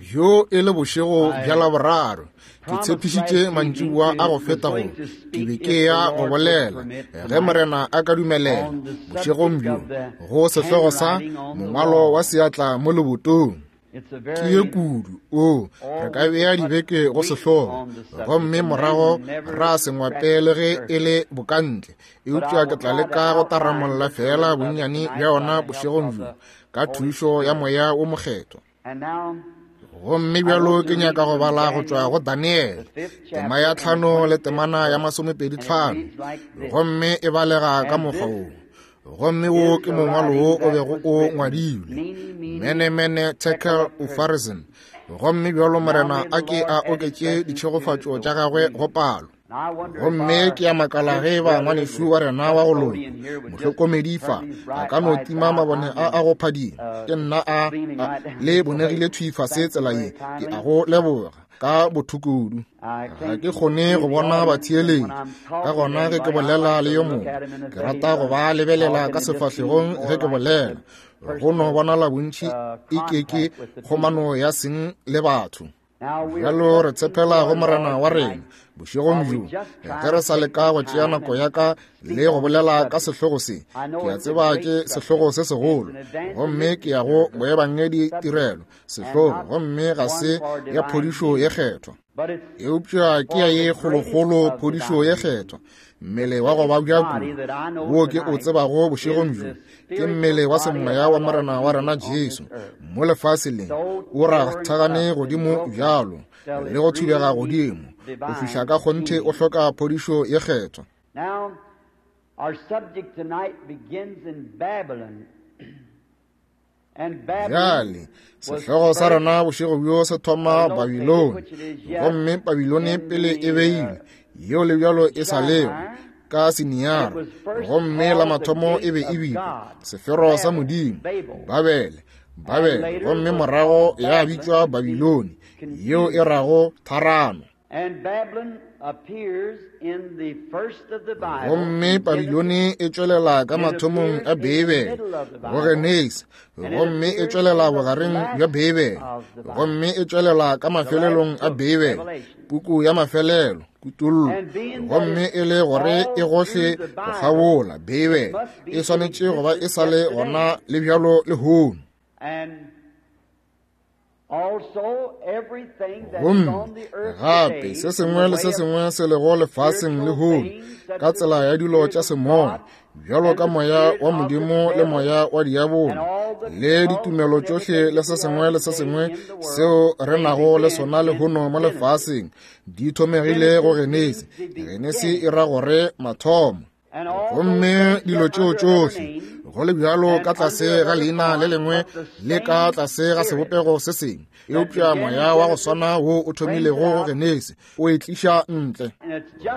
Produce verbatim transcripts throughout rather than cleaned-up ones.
Bjo e le bošego bja Laboraro, ke tshepišitše mantšiboa a go feta gore ke be ke ya go bolela, ge Morena a ka dumelela, bošegong bjo, go sehlogo sa mongwalo wa seatla mo lebotong. Ke ye kudu, o, re ka bea dibeke go sehlogo, gomme morago ra se ngwape le ge e le bokantle, eupša ke tla leka go taramolla fela bonnyane bja ona bošegong bjo, ka thušo ya Moya wo Mokgethwa. Gomme bjalo ke nyaka go bala go tšwa go Daniele, tema ya tlhano le temana ya masomepedi tlhano, gomme e balega ka mokgwa wo. Gomme wo ke mongwalo wo o bego o ngwadilwe, Mene mene tekel upharsin. Gomme bjalo Morena a ke a oketše ditšhegofatšo tša gagwe go palo. Gomme ke a makala ge ba ngwanešu wa rena wa go loka, mohlokomedi fa, a ka no tima mabone a a go phadima. Ke nna a, a le bonegile thwi fase tsela ye, ke a go leboga ka bothokudu. Ga ke kgone go bona batheeletši, ka gona ge ke bolela le yo mongwe, ke rata go ba lebelela ka sefahlegong ge ke bolela. Go no bonala bontši e ke ke kgomano ya seng le batho. Bjalo re tshepela go Morena wa rena bošegong bjo, ge re sa leka go tšea nako ya ka le go bolela ka sehlogo se. Ke a tseba ke sehlogo se segolo, gomme ke ya go boebangedi tirelo sehlogo, gomme ga se ya phodišo ye kgethwa, eupša ke ya ye kgolokgolo phodišo ye kgethwa. Mmele wa go babja kudu wo ke o tsebago bošegong bjo ke mmele wa semoya wa Morena wa rena Jesu mo lefaseng le, o rathagane godimo bjalo le go thubega godimo go fihla ka kgonthe o hloka phodišo ye kgethwa. Bjale sehlogo sa rena bošego bjo se thoma Babilone, gomme Babilone pele e beilwe, yeo le bjalo e sa lego ka Siniara, gomme la mathomo e be e bitšwa sefero sa Modimo, Babele, Babele, gomme morago ya bitšwa Babilone, yeo e rago tharano. Gomme Babilone e tšwelela ka mathomong a Beibele, go Genesi, gomme e tšwelela bogareng bja Beibele, gomme e tšwelela ka mafelelong a Beibele, puku ya mafelelo, Kutollo. Gomme e le gore e gohle go kgabola Beibele, e swanetše go ba e sa le gona le bjalo lehono. Gomme gape se sengwe le se sengwe se lego lefaseng lehono ka tsela ya dilo tša semoya, bjalo ka moya wa Modimo le moya wa diabolo le ditumelo tšohle le se sengwe le se sengwe seo re nago le sona lehono mo lefaseng, di thomegile go Genesi. Genesi e ra gore mathomo. Gomme dilo tšeo tšohle go le bjalo ka tlase ga leina le lengwe le ka tlase ga sebopego se sengwe, eupša moya wa go swana wo o thomilego go Genesi o e tliša ntle.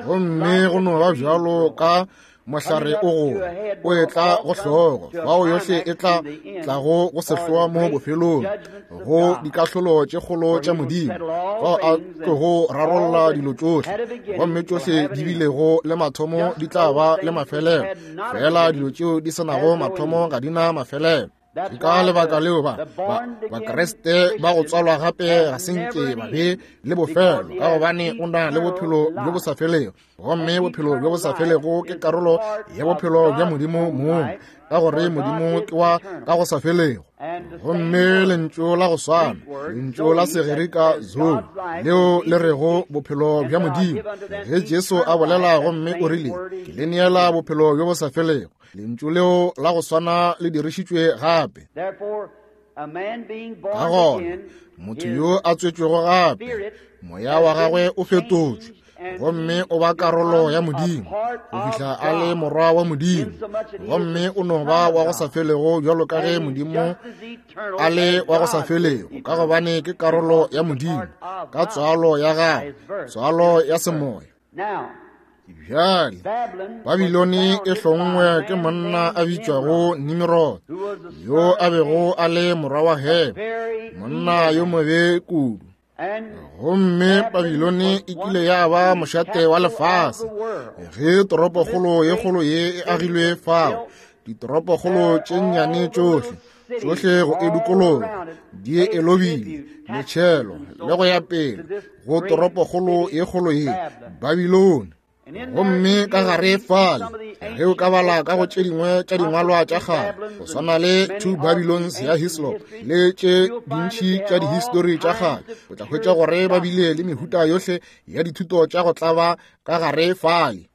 Gomme go no ba bjalo ka mohlare o gola, o etla go hlogo, fao yohle e tla tlago go sehloa mo bofelong, go dikahlolo tše kgolo tša Modimo, fao a tlogo rarolla dilo tšohle, gomme tšohle di bilego le mathomo di tla ba le mafelelo, fela dilo tšeo di se nago mathomo ga di na mafelelo. Ke ka lebaka leo ba Bakriste ba go tswalwa gape ga se nke ba be le bofelo, ka gobane o na le bophelo bjo bo sa felego, gomme bophelo bjo bo sa felego ke karolo ya bophelo bja Modimo mong, ka gore Modimo ke wa ka go sa felego. Gomme lentšu la go swana, lentšu la Segerika zoe, leo le rego bophelo bja Modimo, ge Jesu a bolela gomme o rile, ke le neela bophelo bjo bo sa felego, lentšu leo la go swana le dirišitšwe gape. Ka gona motho yo a tswetšwego gape, moya wa gagwe o fetotšwe, gomme o ba karolo ya Modimo go fihla a le morwa wa Modimo, gomme o no ba wa go sa felego bjalo ka ge Modimo a le wa go sa felego, ka gobane ke karolo ya Modimo ka tswalo ya gagwe, tswalo ya semoya. Bjale Babilone e hlongwe ke monna a bitšwago Nimrod, yo a bego a le morwa wa Hem, monna yo mobe kudu. Gomme Babilone e kile ya ba mošate wa lefase ge toropokgolo ye kgolo ye e agilwe fao, ditoropokgolo tše nnyane tšohle Tšohle go e dikologa di e lobile, metšhelo le go ya pele go toropokgolo ye kgolo ye, Babilone. Gomme ka gare fale, ge o ka bala ka go tše dingwe tša dingwalwa tša kgale, go swana le Two Babylons ya Hislop le tše dintši tša dihistori tša kgale, o tla hwetša gore ba bile le mehuta yohle ya dithuto tša go tlaba ka gare fale.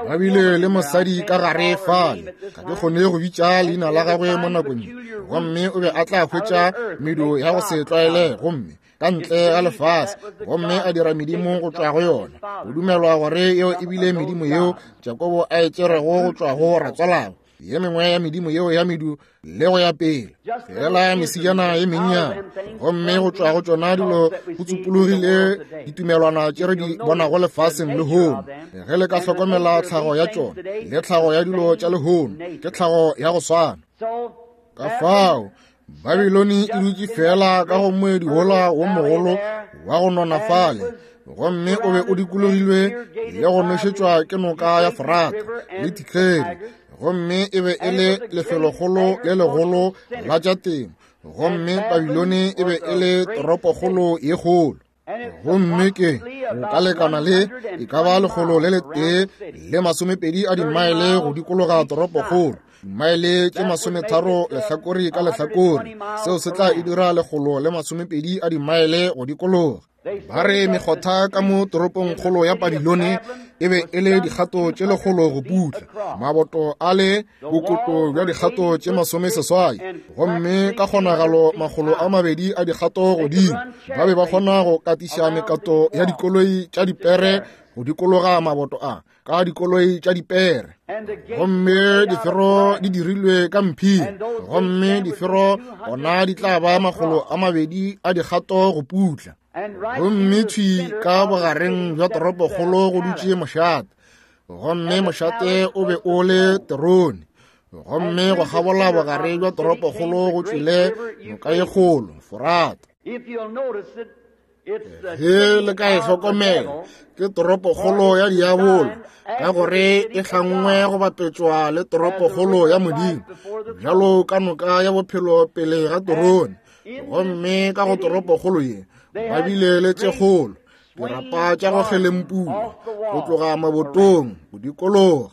Ba bile le mosadi ka gare fale, ga ke kgone go bitša leina la gagwe mo nakong ye, gomme o be a tla hwetša medu ya go se tlwaelege gomme ka ntle ga lefase, gomme a dira medimo go tšwa go yona. Go dumelwa gore yeo e bile medimo yeo Jakobo a e tšerego go tšwa go ratswalabo, ye mengwe ya medimo yeo ya medu le go ya pele, fela mesijana ye mennyane. Gomme go tšwa go tšona dilo go tsupologile ditumelwana tše re di bonago lefaseng lehono. Ge le ka hlokomela tlhago ya tšona le tlhago ya dilo tša lehono, ke tlhago ya go swana. Ka fao Babilone e dutše fela ka go moedi wola wo mogolo wa go nona fale, gomme o be o dikologilwe le go nošetšwa ke noka ya Forata le Tigeri, gomme e be e le lefelokgolo le legolo la tša temo. Gomme Babilone e be e le toropokgolo ye kgolo, gomme ke go ka lekana le e ka ba lekgolo le letee le masomepedi a dimaele go dikologa toropokgolo, dimaele tše masometharo lehlakore ka lehlakore. Seo se tla e dira lekgolo le masomepedi a dimaele go dikologa. Ba re mekgotha ka mo toropongkgolo ya Babilone e be e le dikgato tše lekgolo go putla, maboto a le bokoto bja dikgato tše masomeseswai, gomme ka kgonagalo makgolo a mabedi a dikgato godimo. Ba be ba kgona go katiša mekato ya dikoloi tša dipere go dikologa maboto a ka dikoloi tša dipere, gomme difero di dirilwe ka mphiri, gomme difero gona di tla ba makgolo a mabedi a dikgato go putla. Gomme thwi ka bogareng bja toropokgolo go dutše mošate, gomme mošate o be o le terone, gomme go kgabola bogare bja toropokgolo go tšwile noka ye kgolo, Forata. Ge le ka e hlokomela, ke toropokgolo ya diabolo, ka gore e hlangwe go bapetšwa le toropokgolo ya Modimo, bjalo ka noka ya bophelo pele ga terone. Gomme ka go toropokgolo ye ba bile le tše kgolo, dirapa tša go kgelempula go tloga mabotong go dikologa.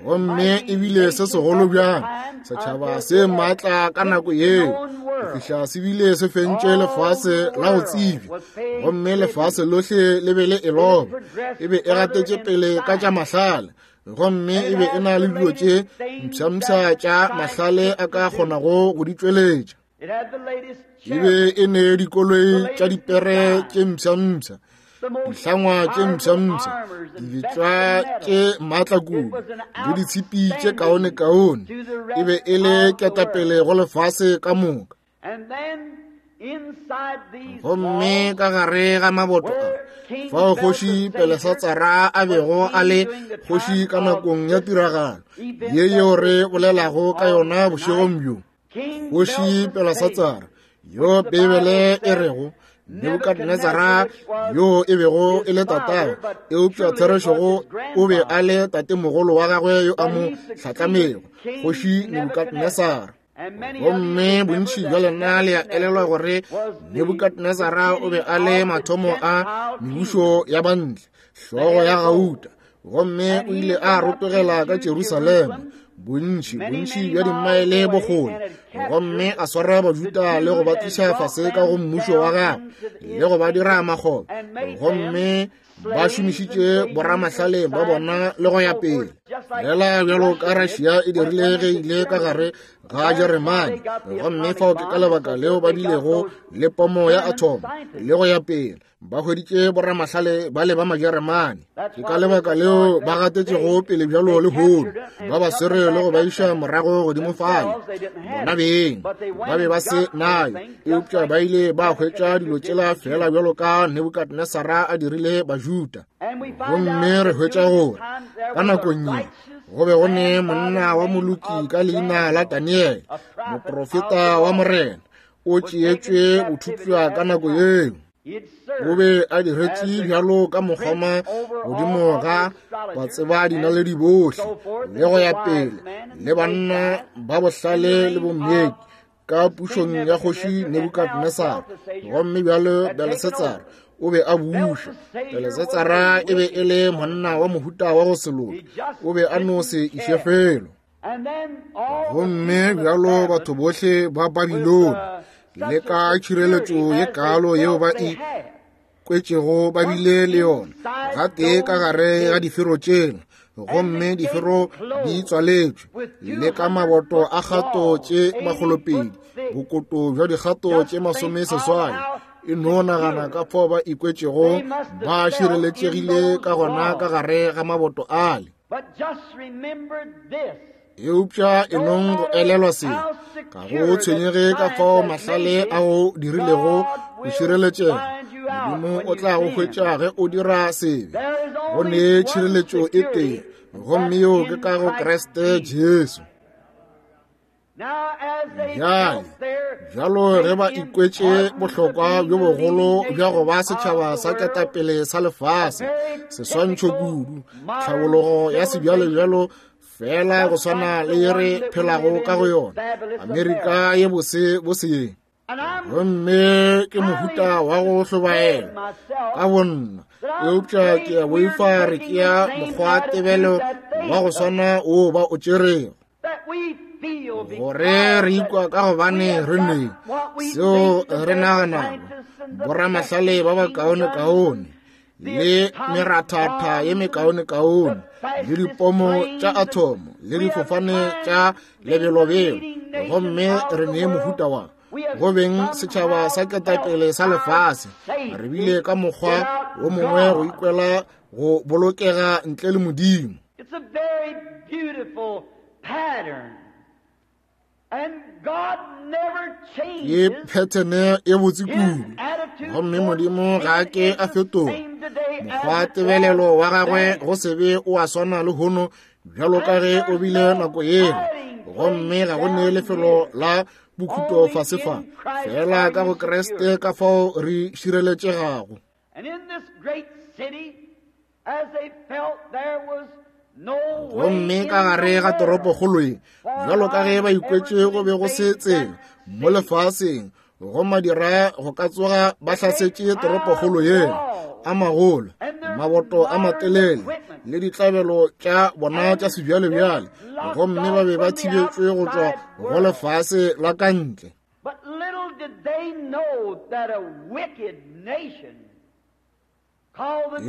Gomme e bile se segolo bjang setšhaba se maatla ka nako yeo, go fihla se bile se fentše lefase la go tsebja, gomme lefase lohle le be le e loba. E be e gatetše pele ka tša mahlale, gomme e be e na le dilo tše mpshampsha tša mahlale a ka kgonago go di tšweletša. E be e ne dikoloi tša dipere tše mpshampsha, dihlangwa tše mpshampsha, dibetšwa tše maatla kudu le ditshipi tše kaonekaone. E be e le ketapele go lefase ka moka. Gomme ka gare ga maboto a, fao kgoši Belesatsara a bego a le kgoši ka nakong ya tiragalo ye yeo re bolelago ka yona bošegong bjo, kgoši Belesatsara yo Beibele e rego Nebukadnezara yo e bego e le tatagwe, eupša therešogo o be a le tatemogolo wa gagwe yo a mo hlatlamego, kgoši Nebukadnezara. Gomme bontši bja lena le a elelwa gore Nebukadnezara o be a le mathomo a mebušo ya bantle, hlogo ya gauta, gomme o ile a rotogela ka Jerusalema bontši bontši bja dimaele bokgole, gomme a swara Bajuda le go ba tliša fase ka go mmušo wa gagwe le go ba dira makgoba, gomme ba šomišitše boramahlale ba bona le go ya pele, fela bjalo ka Russia e dirile ge ile ka gare ga Jeremane. Gomme fao ke ka lebaka leo ba bilego le pomo ya atom le go ya pele, ba hweditše boramahlale ba le ba Majeremane. Ke ka lebaka leo ba gatetšego pele bjalo lehono, ba ba swere le go ba iša morago godimo fale. Bona beng ba be ba se nayo, eupša ba ile ba hwetša dilo tšela fela bjalo ka Nebukadnesara a dirile Bajuda. Gomme re hwetša gore ka nakong ye go be go ne monna wa moloki ka leina la Daniele, moprofeta wa Morena, o tšeetšwe bothupša ka nako yeo. O be a diretše bjalo ka mokgoma godimo ga batseba dinaledi bohle le go ya pele, le banna ba bohlale le bommeki ka pušong ya kgoši Nebukadnesar. Gomme bjalo Belshatsar o be a buša. Belshatsara e be e le monna wa mohuta wa go se loke, o be a no se iše felo. Gomme bjalo batho bohle ba Babilone le ka tšhireletšo ye kalo yeo ba e kwetšego ba bile le yona gatee ka gare ga difero tšela, gomme difero di tswaletšwe le ka maboto a kgato tše makgolopedi, bokoto bja dikgato tše masome seswai. E no nagana ka fao ba ikwetšego ba šireletšegile ka gona ka gare ga maboto ale. Eupša e nong go elelwa se, ga go tshwenyege ka fao mahlale a go dirilego go šireletšega, Modimo o tla go hwetša ge o dira sebe. Go ne tšhireletšo e tee, gomme yeo ke ka go Kriste Jesu. Bjale, bjalo ge ba ikwetše bohlokwa bjo bogolo bja go ba setšhaba sa ketapele sa lefase, seswantšho kudu, tlhabologo ya sebjalebjalo fela go swana le ye re phelago ka go yona, Amerika ye bose boseng. Gomme ke mohuta wa go hlobaela ka bonna, eupša ke a boifa re tšea mokgwatebelo wa go swana wo ba o tšerego, gore re ikwa ka gobane re ne seo re naganago, boramahlale ba bakaonekaone le merathatha ye mekaonekaone le dipomo tša athomo le difofane tša lebelobelo, gomme re ne mohuta wa go beng setšhaba sa ketapele sa lefase. Re bile ka mokgwa wo mongwe go ikwela go bolokega ntle le Modimo. Ke phethene e botse kudu, gomme Modimo ga a ke a fetoga. Mokgwa tebelelo wa gagwe go sebe o a swana le hono bjalo ka ge o bile nako yela, gomme ga go ne lefelo la bokhuto fase fa, fela ka go Kriste ka fao re šireletšegago. Gomme ka gare ga toropokgolo ye, bjalo ka ge ba ikwetše go be go se tsela mo lefaseng go madira go ka tsoga ba hlasetše toropokgolo yela, a magolo, maboto a matelele le ditlabelo tša bona tša sebjalebjale, gomme ba be ba thibetšwe go tšwa go lefase la ka ntle.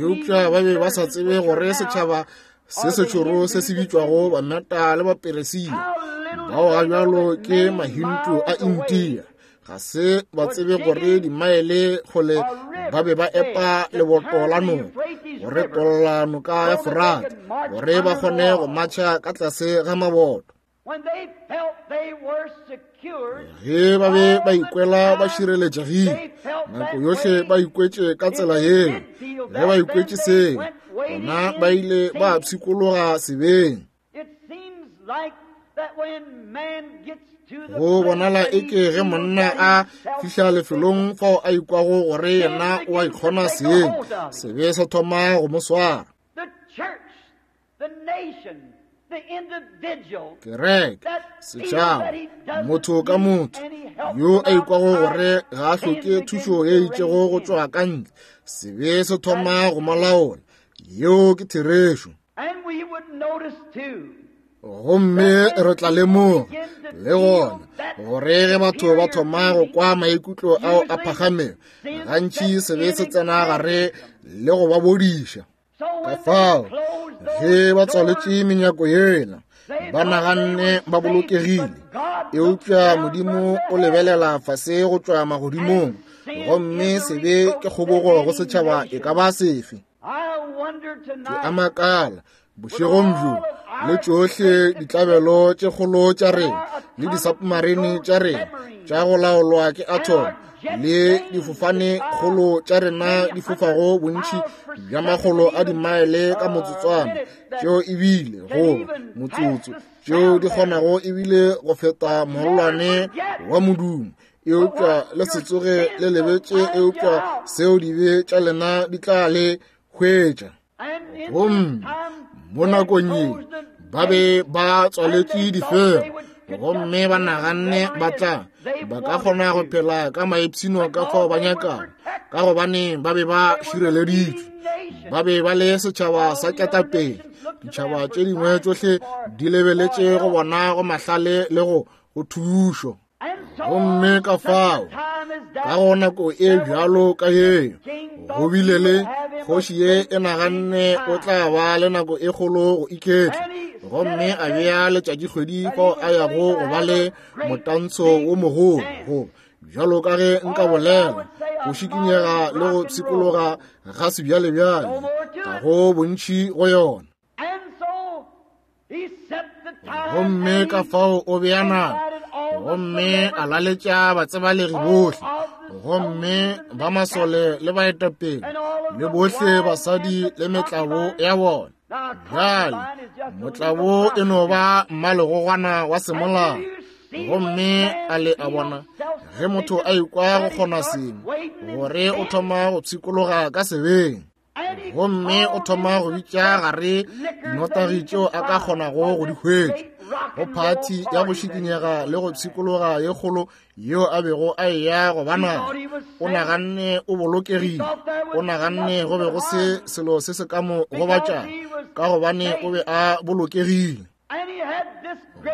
Eupša ba be ba sa tsebe gore setšhaba se sešoro se se bitšwago Bameta le Baperesia, bao ga bjalo ke Mahindu a India, ga se ba tsebe gore dimaele kgole ba be ba epa leboto la noka gore tolla noka ya Forate, gore ba kgone go matšha ka tlase ga maboto. Ge ba be ba ikwela ba šireletšegile, nako yohle ba ikwetše ka tsela yeo. Ge ba ikwetše seo, bona ba ile ba pshikologa sebeng. Go bonala eke ge monna a fihla lefelong fao a ikwago gore yena o a ikgona seng, sebe se thoma go mo swara. Kereke, setšhaba, motho ka motho yo a ikwago gore ga a hloke thušo ye itšego go tšwa ka ntle, sebe se thoma go mo laola. Yeo ke therešo. Gomme re tla lemoga le gona gore ge batho ba thoma go kwa maikutlo ao a phagamego, gantši sebe se tsena gare le go ba bodiša. Ka fao ge ba tswaletše menyako yela, ba naganne ba bolokegile, eupša Modimo o lebelela fase go tšwa magodimong, gomme sebe ke kgobogo go setšhaba e ka ba sefe. Ke a makala bošegong bjo, le tšohle ditlabelo tše kgolo tša rena le disubmarine tša rena tša go laolwa ke atom le difofane kgolo tša rena di fofago bontši bja makgolo a dimaele ka motsotswana, tšeo ebile goba motsotso, tšeo di kgonago ebile go feta mollwane wa modumo, Eupša le se tsoge le lebetše, eupša seo dibe tša lena di tla le hwetša. Gomme mo nakong ye ba be ba tswaletše difero, gomme ba naganne ba tla ba ka kgona go phela ka maipshino ka fao ba nyakago, ka gobane ba be ba šireleditšwe. Ba be ba le setšhaba sa ketapele. Ditšhaba tše dingwe tšohle di lebeletše go bona go mahlale le go go thušo. Gomme ka fao ka go nako e bjalo ka yeo, go bile le kgoši ye e naganne o tla ba le nako e kgolo go iketla, gomme a bea letšatšikgwedi fao a yago go ba le motantsho wo mogolo, go bjalo ka ge nka bolela, go šikinyega le go pshikologa ga sebjalebjale, ga go bontši go yona. Gomme ka fao o bea nako, gomme a laletša batsebalegi bohle, gomme ba masole le baetapele, le bohle basadi le metlabo ya bona. Bjale motlabo e no ba mmalegogwana wa semolao. Gomme a le a bona ge motho a ikwa go kgona sengwe, gore o thoma go pshikologa ka sebeng, gomme o thoma go bitša gare dinotagi tšeo a ka kgonago go di hwetša go phathi ya go šikinyega le go pshikologa ye kgolo yeo a bego a eya go ba nayo. O naganne o bolokegile, o naganne go be go se selo se se ka mo gobatšago, ka gobane o be a bolokegile.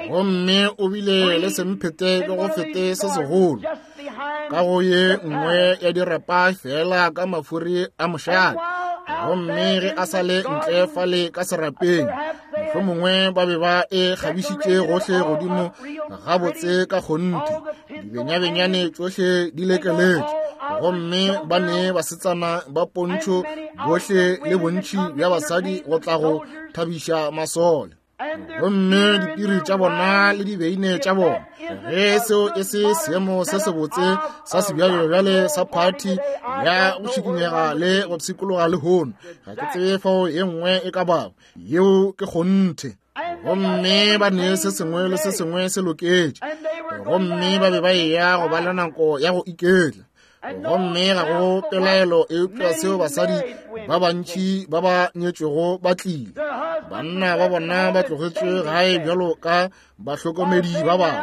Gomme o bile le semphete ke go fete se segolo ka go ye nngwe ya dirapa fela ka mafuri a mošate. Gomme ge a sa le ntle fale ka serapeng, mohlomongwe ba be ba e kgabišitše gohle godimo gabotse ka kgonthe, dibenyabenyane tšohle di lekeletše, gomme ba ne basetsana ba pontšho bohle le bontši bja basadi go tla go thabiša masole. Gomme dipiri tša bona le dibeine tša bona, ge seo e se seemo se sebotse sa sebjalebjale sa phathi ya go šikinyega le go pshikologa lehono, ga ke tsebe fao ye nngwe e ka bago, yeo ke kgonthe. Gomme ba ne se sengwe le se sengwe se loketše, gomme ba be ba eya go ba le nako ya go iketla. Gomme ga go pelaelo eupša seo basadi ba bantši ba ba nyetšwego ba tlile, banna ba bona ba tlogetšwe gae bjalo ka bahlokomedi ba bana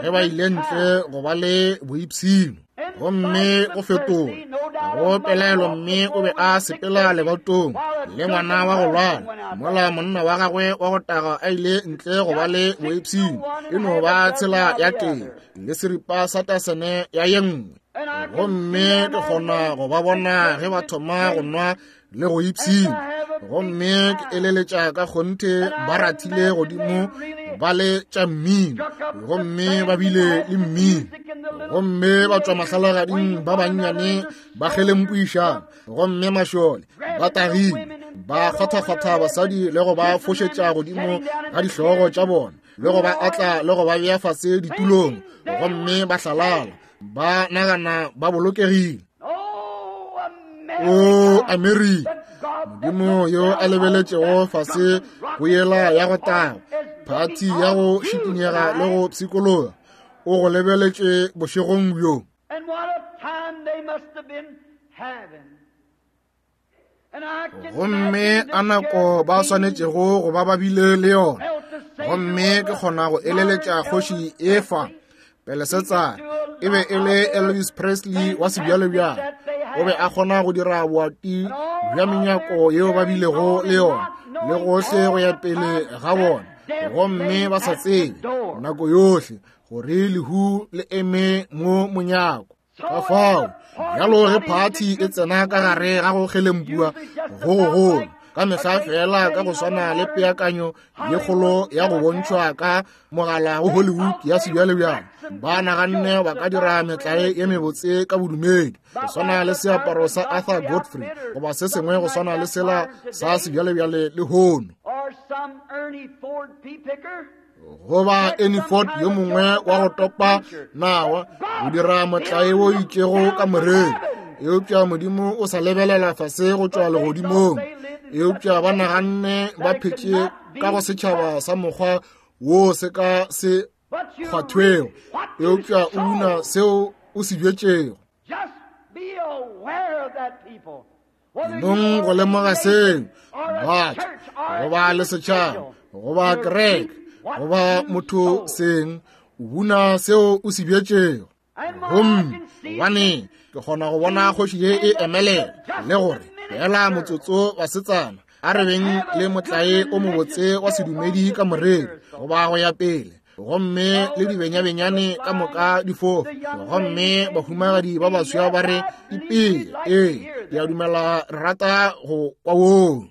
ge ba ile ntle go ba le boipshino. Gomme go fetola, ga go pelaelo mme o be a sepela lebatong le ngwana wa go lwala, mola monna wa gagwe wa go taga a ile ntle go ba le boipshino. E no ba tsela ya teng le seripa sa tasene ya ye nngwe. Gomme ke kgona go ba bona ge ba thoma go nwa le go ipshina, gomme ke eleletša ka kgonthe ba rathile godimo ba le tša mmino, gomme ba bile le mmino, gomme ba tšwa mahlalagading ba bannyane ba kgelempuišana, gomme mašole ba tagile ba kgwathakgwatha basadi le go ba fošetša godimo ga dihlogo tša bona, le go ba atla le go ba bea fase ditulong, gomme ba hlalala ba nagana ba bolokegile. O Amerika, Modimo yo a lebeletšego fase go yela ya go taga, phathi ya go šikinyega le go pshikologa, o go lebeletše bošegong bjo. Gomme a nako ba swanetšego go ba ba bile le yona. Gomme ke kgona go eleletša kgoši efa Pelesetsare e be e le Elvis Presley wa sebjalebjale. O be a kgona go dira boati bja menyako yeo ba bilego le yona le gohle go ya pele ga bona, gomme ba sa tsebe nako yohle gore lehu le eme mo monyako. Ka fao bjalo ge phathi e tsena ka gare ga go kgelempua go gogolo ka mehla fela ka go swana le peakanyo ye kgolo ya go bontšhwa ka mogala go Hollywood ya sebjalebjale, ba naganne ba ka dira metlae ye mebotse ka bodumedi, go swana le seaparo sa Arthur Godfrey goba se sengwe go swana le sela sa sebjalebjale lehono, goba Ernie Ford yo mongwe wa go topa nawa go dira motlae wo itšego ka moreri. Eupša Modimo o sa lebelela fase go tšwa legodimong. Eupša ba naganne ba phetše ka go setšhaba sa mokgwa wo se ka se kgwathwego, eupša o buna seo o se bjetšego. Nong go lemoga seo, batho, goba le setšhaba, goba kereke, goba motho seng, o buna seo o se bjetšego. Gomme gobane ke kgona go bona kgoši ye e emelela le gore fela motsotso basetsana a re beng le motlae o mobotse wa sedumedi ka moreri goba go ya pele, gomme le dibenyabenyane ka moka di fofa, gomme bahumagadi ba baswa ba re ipele, ee, ke a dumela re rata go kwa woo.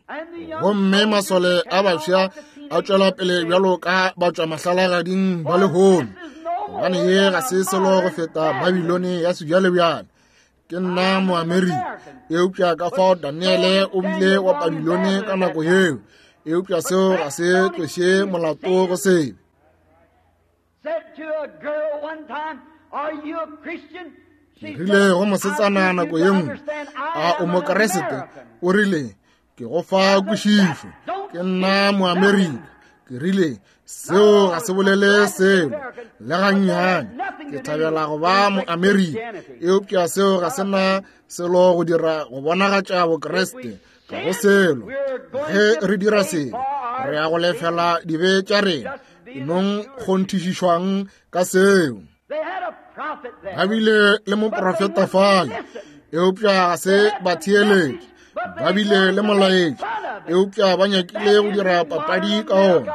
Gomme masole a baswa a tšwela pele bjalo ka batšwa mahlalagading ba lehono, gobane ye ga se selo go feta Babilone ya sebjalebjale. Ke nna Moamerika, eupša ka fao Daniele o bile wa Babilone ka nako yeo, eupša seo ga se tloše molato go sebe. Ke rile go mosetsana nako ye nngwe, a o Mokeresete? O rile, ke go fa kwešišo, ke nna Moamerika. Ke rile, seo ga se bolele selo le gannyane. Ke thabela go ba Moamerika, eupša seo ga se na selo go dira go bonagatša Bokreste ka go selo. Ge re dira selo, re ya go lefela dibe tša rena. Nong kgonthišišwang ka seo. Ba bile le moprofeta fale, eupša ga se ba theeletše. Ba bile le molaetši, eupša ba nyakile go dira papadi ka ona.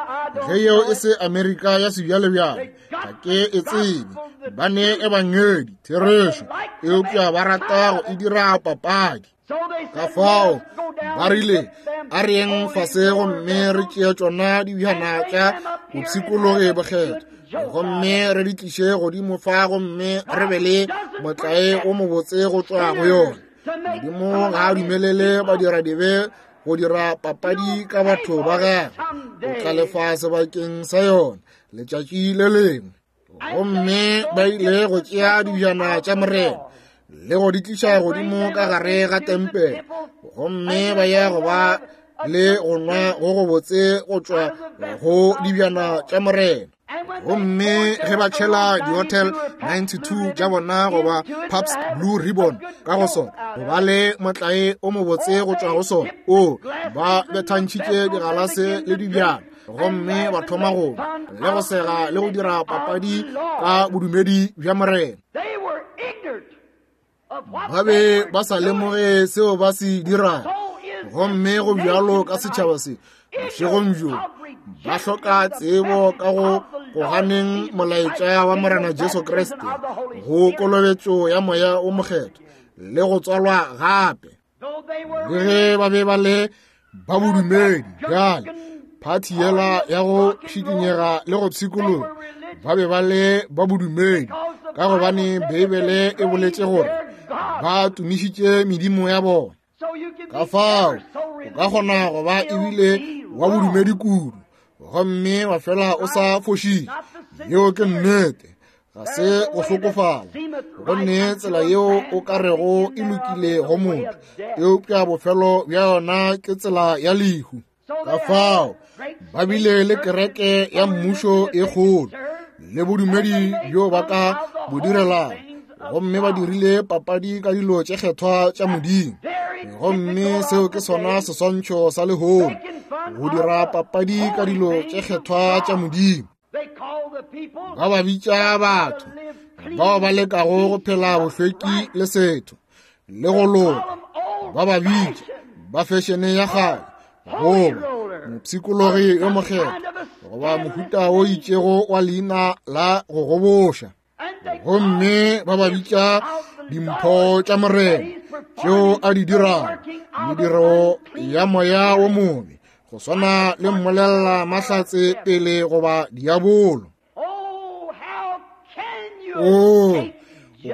Ge yeo e se Amerika ya sebjalebjale, ga ke e tsebe. Ba ne ebangedi, therešo, eupša ba rata go e dira papadi. Ka fao ba rile, a re yeng fase gomme re tšee tšona dibjana tša bopshikologi bokgethwa, gomme re di tliše godimo fa, gomme re be le motlae o mobotse go tšwa go yona. Modimo ga a dumelele badiradibe go dira papadi ka batho ba gagwe. O tla lefa sebakeng sa yona letšatši le lengwe. Gomme ba ile go tšea dibjana tša Morena le go di tliša godimo ka gare ga tempele, gomme ba ya go ba le go nwa go go botse go tšwa go dibjana tša Morena. Gomme ge ba tšhela di-Hotel ninety-two tša bona goba Pabst Blue Ribbon ka go sona, go ba le motlae o mobotse go tšwa go sona, o ba bethantšhitše digalase le dibjana, gomme ba thoma go le go sega le go dira papadi ka bodumedi bja Morena. Ba be ba sa lemoge seo ba se dirago. Gomme go bjalo ka setšhaba se bošegong bjo, ba hloka tsebo ka go go ganeng molaetša wa Morena Jesu Kriste, go kolobetšo ya Moya o Mokgethwa le go tswalwa gape. Le ge ba be ba le ba bodumedi bjale, phathi yela ya go šikinyega le go pshikologa, ba be ba le ba bodumedi, ka gobane Beibele e boletše gore ba tumišitše medimo ya bona. Ka fao o ka kgona go ba ebile wa bodumedi kudu, gomme wa fela o sa fošitše. Yeo ke nnete, ga se go hlokofala, gonne tsela yeo o ka rego e lokile go motho, eupša bofelo bja yona ke tsela ya lehu. Ka fao ba bile le kereke ya mmušo e kgolo le bodumedi bjo ba ka bo direlang, gomme ba dirile papadi ka dilo tše kgethwa tša Modimo. Gomme seo ke sona seswantšho sa lehono, go dira papadi ka dilo tše kgethwa tša Modimo. Ba ba bitša batho bao ba lekago go phela bohlweki le setho le go loka, ba ba bitša ba fešene ya kgale, goba mopshikologi yo mokgethwa, goba mohuta o itšego wa leina la go goboša. Gomme ba ba bitša dimpho tša Morena tšeo a di dirago, mediro ya moya wo mobe, go swana le mmolelela mahlatse pele goba diabolo. O o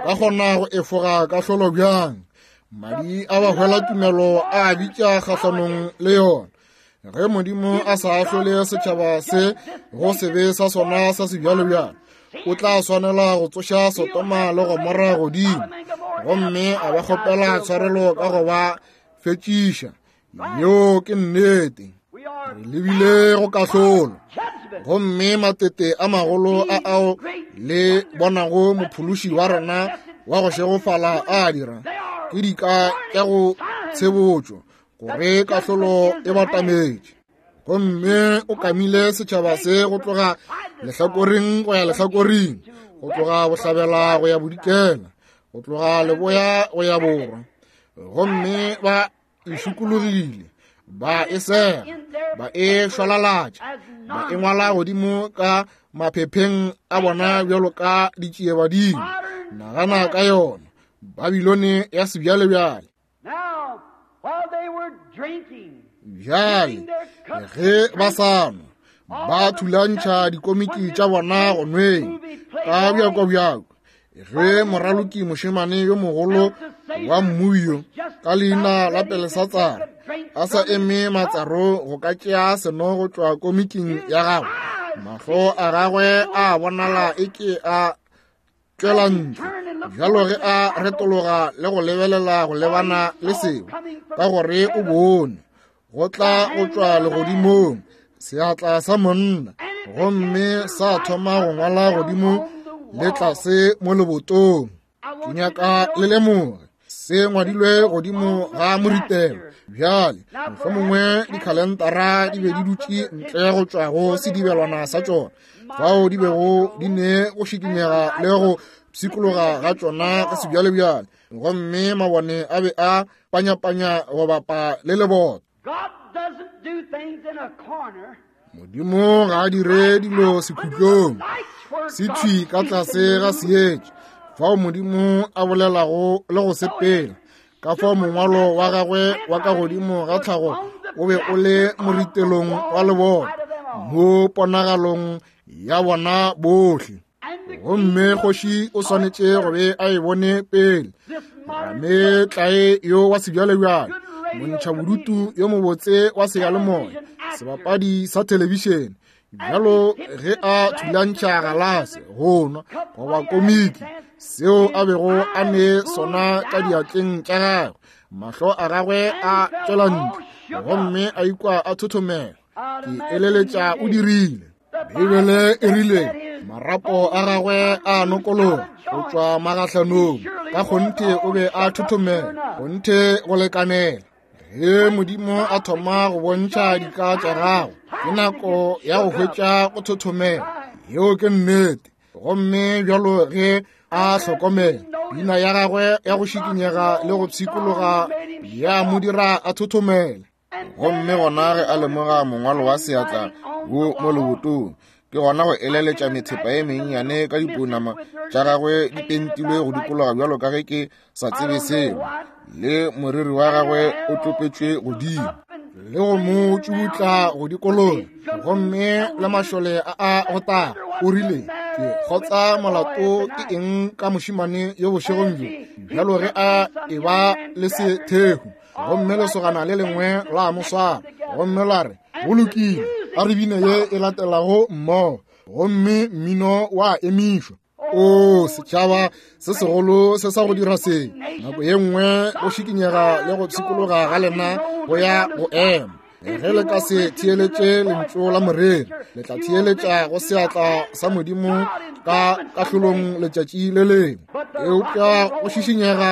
ka kgona go efoga kahlolo bjang? Madi a bahwela tumelo a bitša kgahlanong le yona. Ge Modimo a sa ahlole setšhaba se go sebe sa sona sa sebjalebjale, o tla swanela go tsoša Sodoma le Gomora godimo, gomme a ba kgopela tshwarelo ka go ba fetšiša. Yeo ke nnete. Re lebile go kahlolo. Gomme matete a magolo a ao le bonago mophološi wa rena wa go šegofala a dira ke dika tša go tshebotšo gore kahlolo e batametše. Gomme o kamile setšhaba se go tloga lehlakoreng go ya lehlakoreng, go tloga bohlabela go ya bodikela, go tloga leboya go ya borwa. Gomme ba e šukologile, ba e sega, ba e šwalalatša, ba e ngwala godimo ka maphepheng a bona bjalo ka ditšiebadimo. Nagana ka yona, Babilone ya sebjalebjale. Bjale ge ba sa nwa, ba thulantšha dikomiki tša bona go nweng ka bjako-bjako. Ge moraloki mošemane yo mogolo wa mmuyo ka leina la Pelesatsara a sa eme matsaro go ka tšea seno go tšwa komiking ya gagwe, mahlo a gagwe a bonala e ke a tšwela ntle bjalo ge a retologa le go lebelela go lebana le seo, ka gore o bone go tla go tšwa legodimong seatla sa monna, gomme sa thoma go ngwala godimo le tlase mo lebotong. Ke nyaka le lemoge se ngwadilwe godimo ga moritelo. Bjale mohlomongwe dikhalentara di be di dutše ntle go tšwa go sedibelwana sa tšona, fao di bego di ne go šikinyega le go pshikologa ga tšona ga sebjalebjale, gomme mabone a be a panyapanya go bapa le leboto. Modimo ga a dire dilo sekhutlong, se thwi ka tlase ga seetša fao Modimo a bolelago le go sepela. Ka fao mongwalo wa gagwe wa ka godimo ga tlhago o be o le moritelong wa lebona mo ponagalong ya bona bohle. Gomme kgoši o swanetše go be a e bone pele. Rametlae yo wa sebjalebjale, montšha bodutu yo mobotse wa seyalemoya, sebapadi sa thelebišene, bjalo ge a thulantšha galase go nwa goba komiki seo a bego a ne sona ka diatleng tša gagwe, mahlo a gagwe a tšwela ntle gomme a ikwa a thothomela. Ke eleletša o dirile. Beibele e rile marapo a gagwe a nokologa go tšwa magahlanong. Ka kgonthe o be a thothomela, kgonthe go lekanela. Ge Modimo a thoma go bontšha dika tša gagwe, ke nako ya go hwetša go thothomela. Yeo ke nnete. Gomme bjalo ge a hlokomela pina ya gagwe ya go šikinyega le go pshikologa ya mo dira a thothomela. Gomme gona ge a lemoga mongwalo wa seatla wo mo lebotong, ke gona go eleletša methepa ye mennyane ka dipounama tša gagwe di pentilwe go dikologa bjalo ka ge ke sa tsebe seo, le moriri wa gagwe o tlopetšwe godimo le go mo tšubutla go dikologa, gomme le mašole a a go taga. O rile, ke kgotsa molato ke eng ka mošemane yo bošegong bjo, bjalo ge a e ba le sethehu. Gomme lesogana le lengwe la mo swara gomme la re, go lokile, a re bine ye e latelago mmogo. Gomme mmino wa emišwa. O setšhaba se segolo se sa go dira se, nako ye nngwe go šikinyega le go pshikologa ga lena go ya go ema. Ge le ka se theeletše lentšu la moreri, le tla theeletša go seatla sa Modimo ka kahlolong letšatši le lengwe. Eupša go šišinyega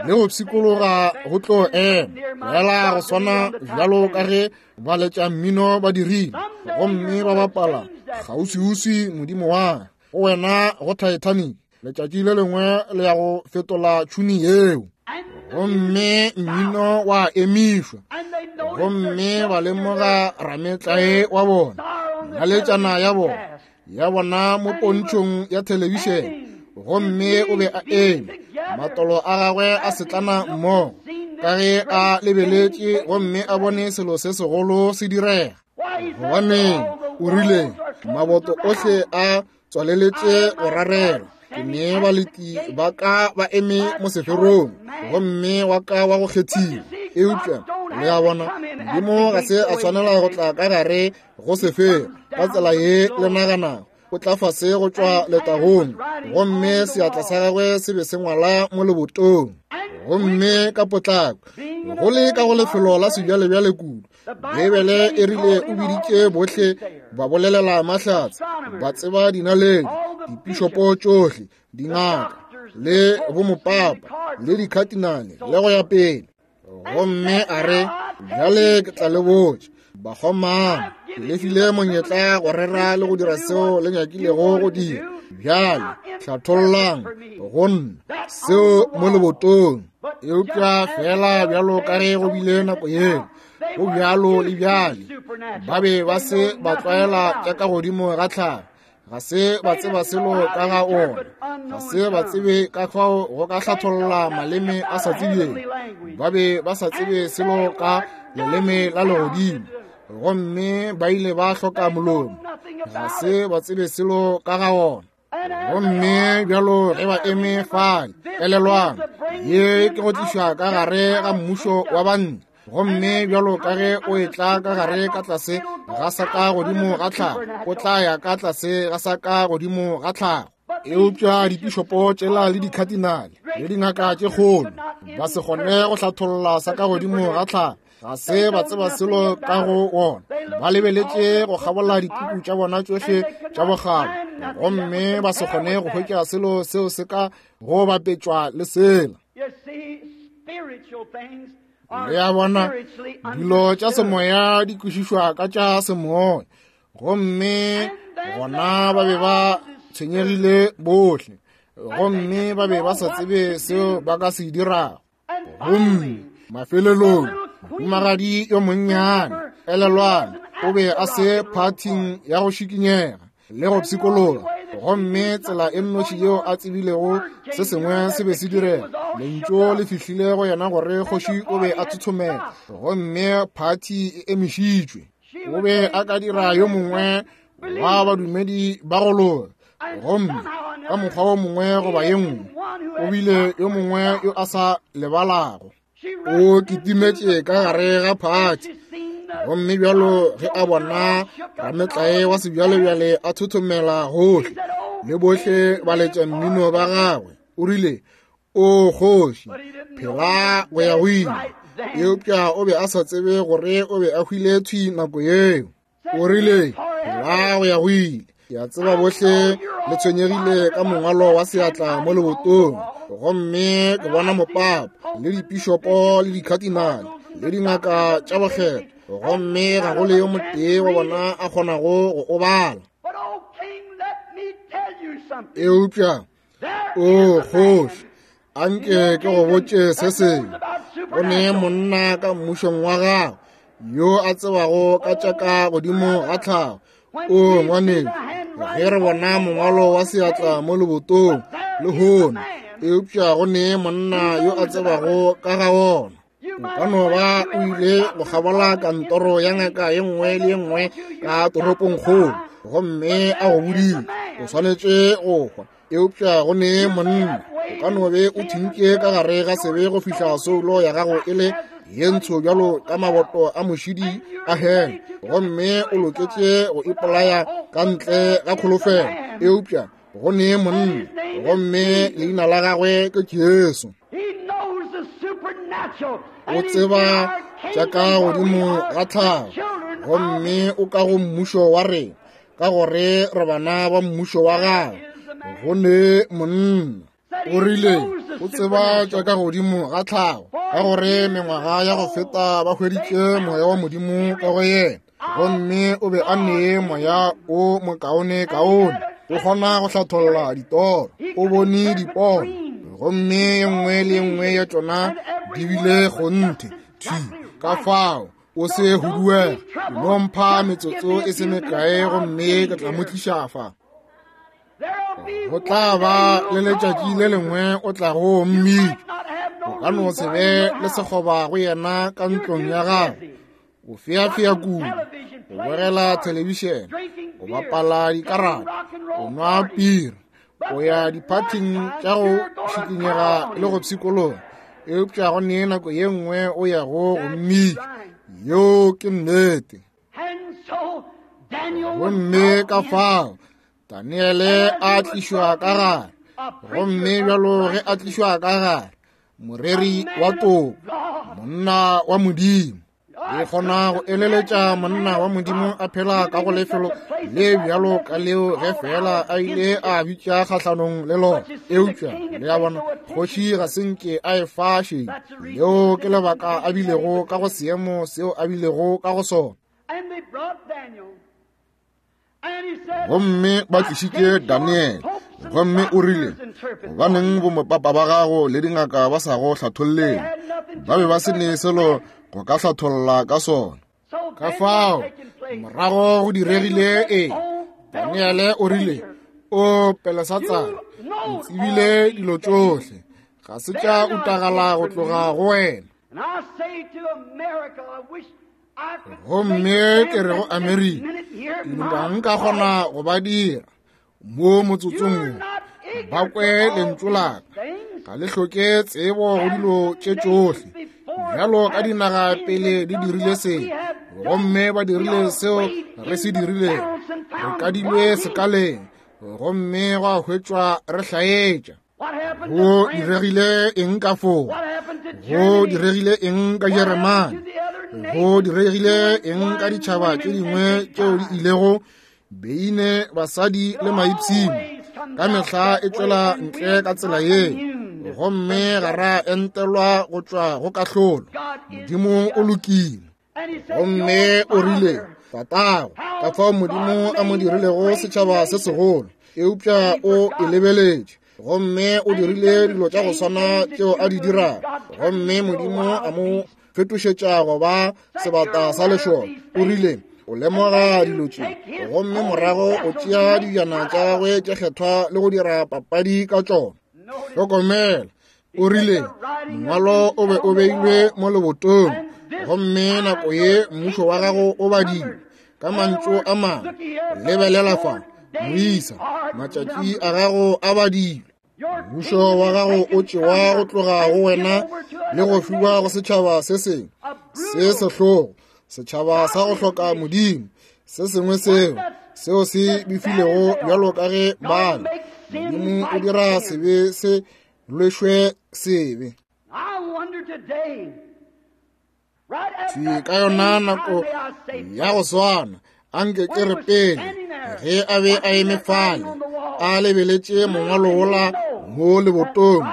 le go pshikologa go tlo ema fela go swana bjalo ka ge ba letša mmino ba dirile, gomme ba bapala kgauswiuswi Modimo wa go wena go Titanic. Letšatši le lengwe le ya go fetola tšhuni yeo. Gomme mmino wa emišwa, gomme ba lemoga rametlae wa bona, naletšana ya bona ya bona mo pontšhong ya thelebišene. Gomme o be a eme, matolo a gagwe a setlana mmogo ka ge a lebeletše gomme a bone selo se segolo se direga. Gobaneng, o rile, maboto ohle a tswaleletše go rarela. Ke ne baleti ba ka ba eme mo seferong, gomme wa ka wa go kgethiwa. Eupša le a bona, Modimo ga se a tshwanela go tla ka gare go sefero ka tsela ye le naganago. O tla fase go tšwa letagong, gomme seatla sa gagwe se be se ngwala mo lebotong. Gomme ka potlako, go le ka go lefelo la sebjalebjale kudu, Beibele e rile o biditše bohle Ba bolelela mahlatse, ba tseba dinaledi, dipišopo tšohle, dingaka, le bomopapa, le dikhatinale, le go ya pele. Gomme a re, bjale ke tla le botša, bakgomana, ke le file monyetla go rera le go dira seo le nyakilego go dira. Bjale hlathollang go nna seo mo lebotong. Eupša fela bjalo ka ge go bile nako yeo, go bjalo le bjale. Ba be ba se ba tlwaela tša ka godimo ga tlhago, ga se ba tseba selo ka ga ona, ga se ba tsebe ka fao go ka hlatholla maleme a sa tsebjeng. Ba be ba sa tsebe selo ka leleme la legodimo, gomme ba ile ba hloka molomo, ga se ba tsebe selo ka ga ona. Gomme bjalo ge ba eme fale, elelwang, ye ke go tlišwa ka gare ga mmušo wa banna. Gomme bjalo ka ge o etla ka gare ka tlase ga sa ka godimo ga tlhago, o tla ya ka tlase ga sa ka godimo ga tlhago. Eupša dipišopo tšela le dikhatinale le dingaka tše kgolo ba se kgone go hlatholla sa ka godimo ga tlhago, ga se ba tseba selo ka go ona. Ba lebeletše go kgabola dipuku tša bona tšohle tša bokgabo, gomme ba se kgone go hwetša selo seo se ka go bapetšwa le sela. Le a bona, dilo tša semoya di kwešišwa ka tša semoya. Gomme gona ba be ba tshwenyegile bohle, gomme ba be ba sa tsebe seo ba ka se dirago. Gomme mafelelong, mohumagadi yo monnyane, elelwang, o be a se phathing ya go šikinyega le go pshikologa, gomme tsela e nnoši yeo a tsebilego se sengwe se be se direga, lentšu le fihlile go yena gore kgoši o be a thothomela, gomme phathi e emišitšwe. O be a ka dira yo mongwe wa badumedi ba go loka, gomme ka mokgwa wo mongwe goba ye nngwe o bile yo mongwe yo a sa lebalago. O kitimetše ka gare ga phathi, gomme bjalo ge a bona rametlae wa sebjalebjale a thothomela gohle le bohle ba letša mmino ba gagwe, o rile, o kgoši, phela go ya go ile. Eupša o be a sa tsebe gore o be a hwile thwi nako yeo. O rile, phela go ya go ile. Ke a tseba bohle le tshwenyegile ka mongwalo wa seatla mo lebotong, gomme ke bona mopapa le dipišopo le dikhatinale le dingaka tša bokgetho, gomme ga go le yo motee wa bona a kgonago go o bala. Eupša o kgoši, anke ke go botše se sengwe. Go ne monna ka mmušong wa gago yo a tsebago ka tša ka godimo ga tlhago. O ngwaneng, ge re bona mongwalo wa seatla mo lebotong lehono, eupša go ne monna yo a tsebago ka ga ona. O ka no ba o ile go kgabola kantoro ya ngaka ye nngwe le ye nngwe ka toropongkgolo, gomme a go bodile o swanetše go hwa, eupša go ne monna. O ka no be o thintše ka gare ga sebe go fihla soulo ya gago e le ye ntsho bjalo ka maboto a mošidi a hele, gomme o loketše go ipolaya ka ntle ga kholofelo, eupša go ne monna, gomme leina la gagwe ke Jesu. O tseba tša ka godimo ga tlhago, gomme o ka go mmušo wa rena, ka gore re bana ba mmušo wa gagwe. Go ne monna. O rile o tseba tša ka godimo ga tlhago, ka gore mengwaga ya go feta ba hweditše moya wa Modimo ka go yena, gomme o be a nee moya o mokaone kaone. O kgona go hlatholla ditoro, o bone dipono, gomme ye nngwe le ye nngwe ya tšona di bile kgonthe thwi. Ka fao o se huduege, no mpha metsotso e se mekae gomme ke tla mo tliša fa. Go tla ba le letšatši le lengwe o tlago mmitša. O ka no se be le sekgoba go yena ka ntlong ya gago. O feafea kudu, o bogela thelebišene, o bapala dikarata, o nwa piri, o ya diphathing tša go šikinyega le go pshikologa, eupša go ne nako ye nngwe o yago go mmitša. Yeo ke nnete. Gomme ka fao Daniele a tlišwa ka gare, gomme bjalo ge a tlišwa ka gare, moreri wa toko, monna wa Modimo. Ke kgona go eleletša monna wa Modimo a phela ka go lefelo le bjalo ka leo ge fela a ile a bitša kgahlanong le lona. Eupša le a bona, kgoši ga se nke a e fa šedi. Leo ke lebaka a bilego ka go seemo seo a bilego ka go sona. Gomme ba tlišitše Daniele, gomme o rile, gobaneng bomopapa ba gago le dingaka ba sa go hlatholleng? Ba be ba se ne selo go ka hlatholla ka sona. Ka fao morago go diregile eng? Daniele o rile, o Belesatsara, o tsebile dilo tšohle, ga se tša utagala go tloga go wena. Gomme ke re go Amerika, ke duma nka kgona go ba dira mo motsotsong wo, ba kwe lentšu la ka. Ga le hloke tsebo go dilo tše tšohle, bjalo ka dinaga pele di dirile se, gomme ba dirile seo re se dirilego. Re kadilwe sekaleng, gomme gwa hwetšwa re hlaetša. Go diregile eng ka foo? Go diregile eng ka Jeremane? Go diregile eng ka ditšhaba tše dingwe tšeo di ilego beine, basadi le maipshino? Ka mehla e tšwela ntle ka tsela ye, gomme ga ra entelwa go tšwa go kahlolo. Modimo o lokile. Gomme o rile, tatago, ka fao Modimo a mo dirilego setšhaba se segolo, eupša o e lebeletše, gomme o dirile dilo tša go swana tšeo a di dirago, gomme Modimo a mo fetošetša go ba sebata sa lešole. O rile, o lemoga dilo tše, gomme morago o tšea dijana tša gagwe tše kgethwa le go dira papadi ka tšona. Hlokomela, o rile, mongwalo o be o beilwe mo lebotong, gomme nako ye mmušo wa gago o badilwe. Ka mantšu a mangwe, lebelela fa, moisa, matšatši a gago a badilwe. Mmušo wa gago o tšewa go tloga go wena le go fiwa go setšhaba se sengwe se sehlogo, setšhaba sa go hloka Modimo, se sengwe seo seo se befilego bjalo ka ge bale. Modimo o dira sebe se lwešwe sebe. Thwi ka yona nako ya go swana, anke ke re pele, ge a be a eme fale a lebeletše mongwalo wola mo lebotong,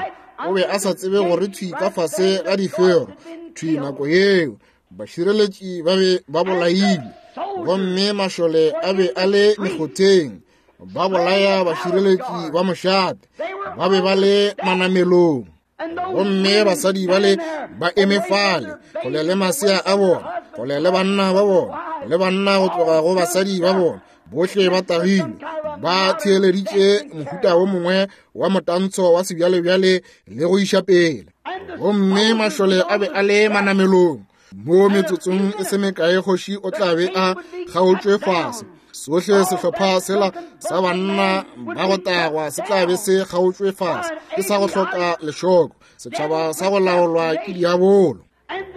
o be a sa tsebe gore thwi ka fase ga difero, thwi nako yeo bašireletši ba be ba bolailwe, gomme mašole a be a le mekgotheng ba bolaya bašireletši ba mošate, ba be ba le manamelong. Gomme basadi bale ba eme fale kgole le masea a bona, kgole le banna ba bona, le banna go tloga go basadi ba bona, bohle ba tagilwe, ba theeleditše mohuta wo mongwe wa motantsho wa sebjalebjale le go iša pele. Gomme mašole a be a le manamelong. Mo metsotsong e se mekae kgoši o tla be a kgaotšwe fase. Sohle sehlopha sela sa banna ba go tagwa se tla be se kgaotšwe fase, ke sa go hloka lešoko, setšhaba sa go laolwa ke diabolo.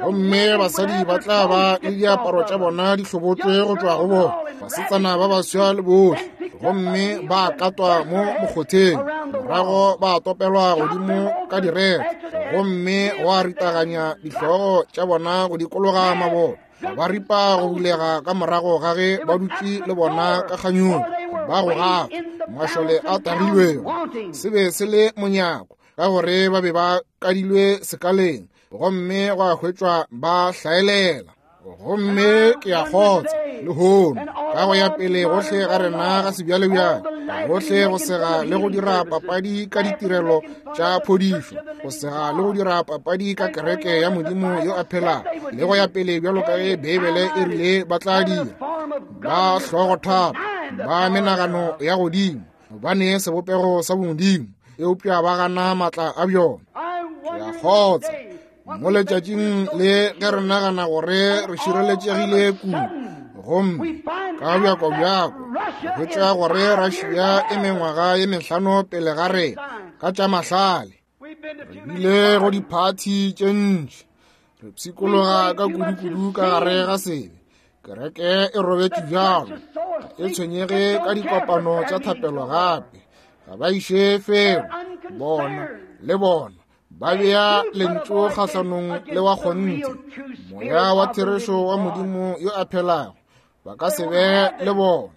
Gomme basadi ba tla ba le diaparo tša bona di hlobotswe go tšwa go bona, basetsana ba baswa le bohle, gomme ba katwa mo mokgotheng, morago ba topelwa godimo ka direthe, gomme gwa ritaganya dihlogo tša bona go dikologa maboto, ba ripa go bulega ka morago ga ge ba dutše le bona ka kganyong, ba go gafa mašole a tagilwego. Se be se le monyako, ka gore ba be ba kadilwe sekaleng, gomme gwa hwetšwa ba hlaelela. Gomme ke a kgotsa lehono ka go ya pele gohle ga rena ga sebjalebjale, gohle go sega le go dira papadi ka ditirelo tša phodišo, go sega le go dira papadi ka kereke ya Modimo yo a phelago, le go ya pele bjalo ka ge Beibele e rile ba tla dira. Ba hlogothata, ba menagano ya godimo, ba ne sebopego sa bomodimo, eupša ba gana maatla a bjona. Ke a kgotsa mo letšatšing le ge re nagana gore re šireletšegile kudu, gomme ka bjako bjako hwetša gore Russia e mengwaga ye mehlano pele ga rena ka tša mahlale. Re bile go diphathi tše ntši, re pshikologa ka kudu-kudu ka gare ga sebe. Kereke e robetše bjalo, e tshwenyege ka dikopano tša thapelo gape, ga ba iše felo. Bona le bona Ba bea lentšu kgahlanong le wa kgonthe, moya wa therešo wa Modimo yo a phelago. Ba ka se be le bona.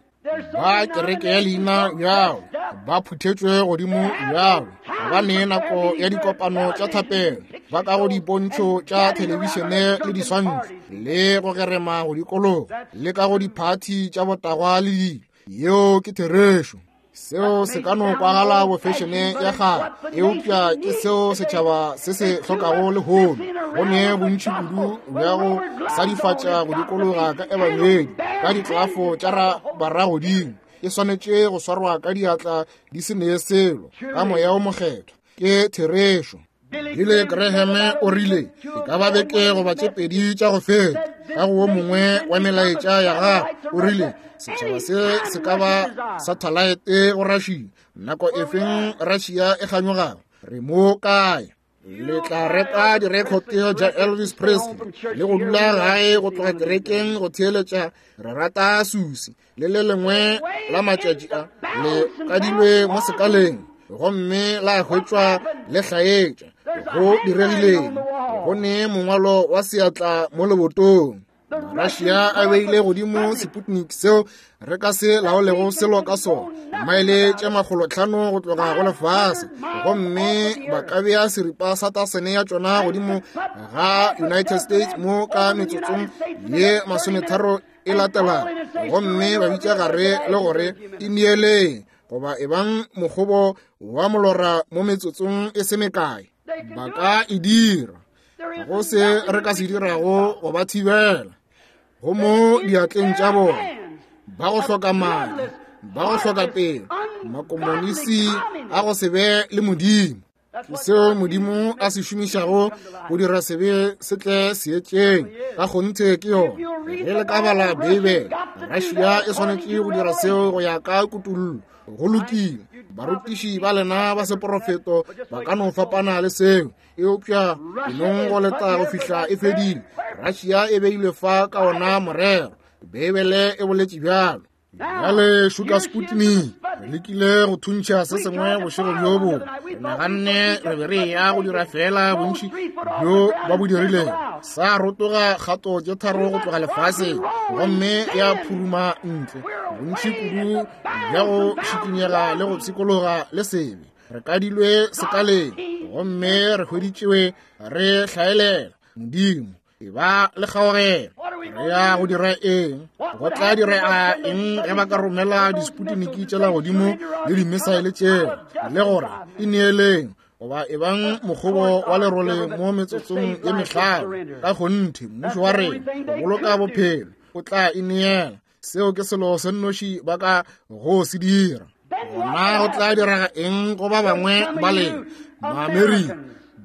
Ba kereke ya leina bjalo, ba phuthetšwe godimo bjalo, ba ne nako ya dikopano tša thapelo, ba ka go dipontšho tša thelebišene le diswantšho, le go gerema go dikologa, le ka go diphathi tša botagwa le dilo. Yeo ke therešo. Seo se ka no kwagala bofešene ya kgale, eupša ke seo setšhaba se se hlokago lehono. Go ne bontši kudu bja go sadifatša go dikologa ka ebangedi, ka ditlafo tša baragodimo. E swanetše go swarwa ka diatla di se nee selo, ka moya o mokgethwa. Ke therešo. Billy Graham o rile e ka ba beke goba tše pedi tša go feta, ka go wo mongwe wa melaetša ya gagwe, o rile setšhaba se se ka ba sathalaete go Russia. Nako efeng Russia e kganyogago, re mo kae? Le tla reka direkhote tša Elvis Presley le go dula gae go tloga kerekeng go theeletša Re Rata Susi le le lengwe la matšatši a le kadilwe mo sekaleng gomme la hwetšwa le hlaetša. Go diregileng? Go ne mongwalo wa seatla mo lebotong. Russia a beile godimo Sputnik seo re ka se laolego selo ka sona, maele tše makgolotlhano go tloga go lefase, gomme ba ka bea seripa sa tasene ya tšona godimo ga United States mo ka metsotsong ye masometharo e latelago, gomme ba bitša gare le gore ineeleng goba ebang mokgobo wa molora mo metsotsong e se mekae. Ba ka e dira. Go se re ka se dirago go ba thibela. Go mo diatleng tša bona, ba go hloka madi, ba go hloka pelo, makomonisi a go se be le Modimo. Ke seo Modimo a se šomišago go dira sebe se tle seetšeng. Ka kgonthe ke yona. Ge le ka bala Beibele, Russia e swanetše go dira seo go ya ka kutullo. Go lokile. Barutiši ba lena ba seporofeto ba ka no fapana le seo, eupša enong go leta go fihla e fedile. Russia e beilwe fa ka ona morero. Beibele e boletše bjalo. Bjale šuka Sputnik, re lekile go thuntšha se sengwe bošego bjo bongwe. Re naganne re be re ya go dira fela bontši bjo ba bo dirilego. Sa rotoga kgato tše tharo go tloga lefaseng, gomme ya phuruma ntle. Bontši kudu bja go šikinyega le go pshikologa le sebe. Re kadilwe sekaleng, gomme re hweditšwe re hlaelela. Modimo, e ba le kgaogelo. Re ya go dira eng? Go tla direga eng ge ba ka romela disputniki tšela godimo le dimisaele tšela, le gore ineeleng goba ebang mokgobo wa lerole mo metsotsong ye mehlano? Ka kgonthe mmušo wa rena go boloka bophelo o tla ineela. Seo ke selo se nnoši ba ka go se dira. Gona go tla direga eng go ba bangwe ba lena Maamerika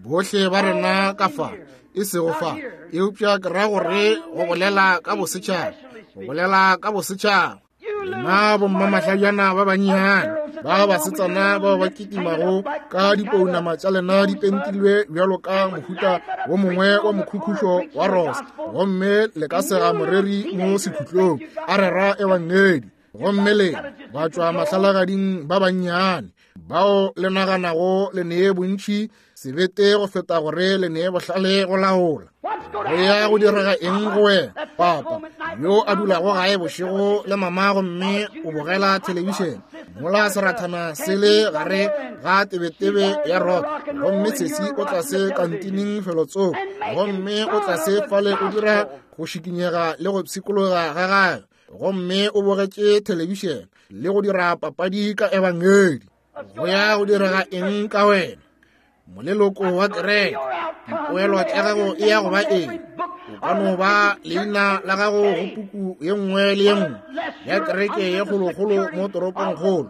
bohle ba rena ka fa, e sego fa, eupša ke ra gore go bolela ka bosetšhaba, go bolela ka bosetšhaba. Lena bommamahlajana ba bannyane ba basetsana bao ba kitimago ka dipounama tša lena di pentilwe bjalo ka mohuta wo mongwe wa mokhukhušo wa rosa, gomme le ka sega moreri mo sekhutlong a rera ebangedi, gomme lena ba tšwa mahlalagading ba bannyane bao le naganago le nee bontši sebete go feta gore le nee bohlale go laola. Go ya go direga eng go wena, papa yo a dulago gae bošego le mama gomme o bogela thelebišene mola serathana se le gare ga tebetebe ya rock, gomme sesi o tlase kantining felotsoko, gomme o tlase fale o dira go šikinyega le go pshikologa ga gagwe, gomme o bogetše thelebišene le go dira papadi ka ebangedi. Go ya go direga eng ka wena, moleloko wa kereke? Dipoelo tša gago e ya go ba eng? O ka no ba leina la gago go puku ye nngwe le ye nngwe ya kereke ye kgolokgolo mo toropongkgolo,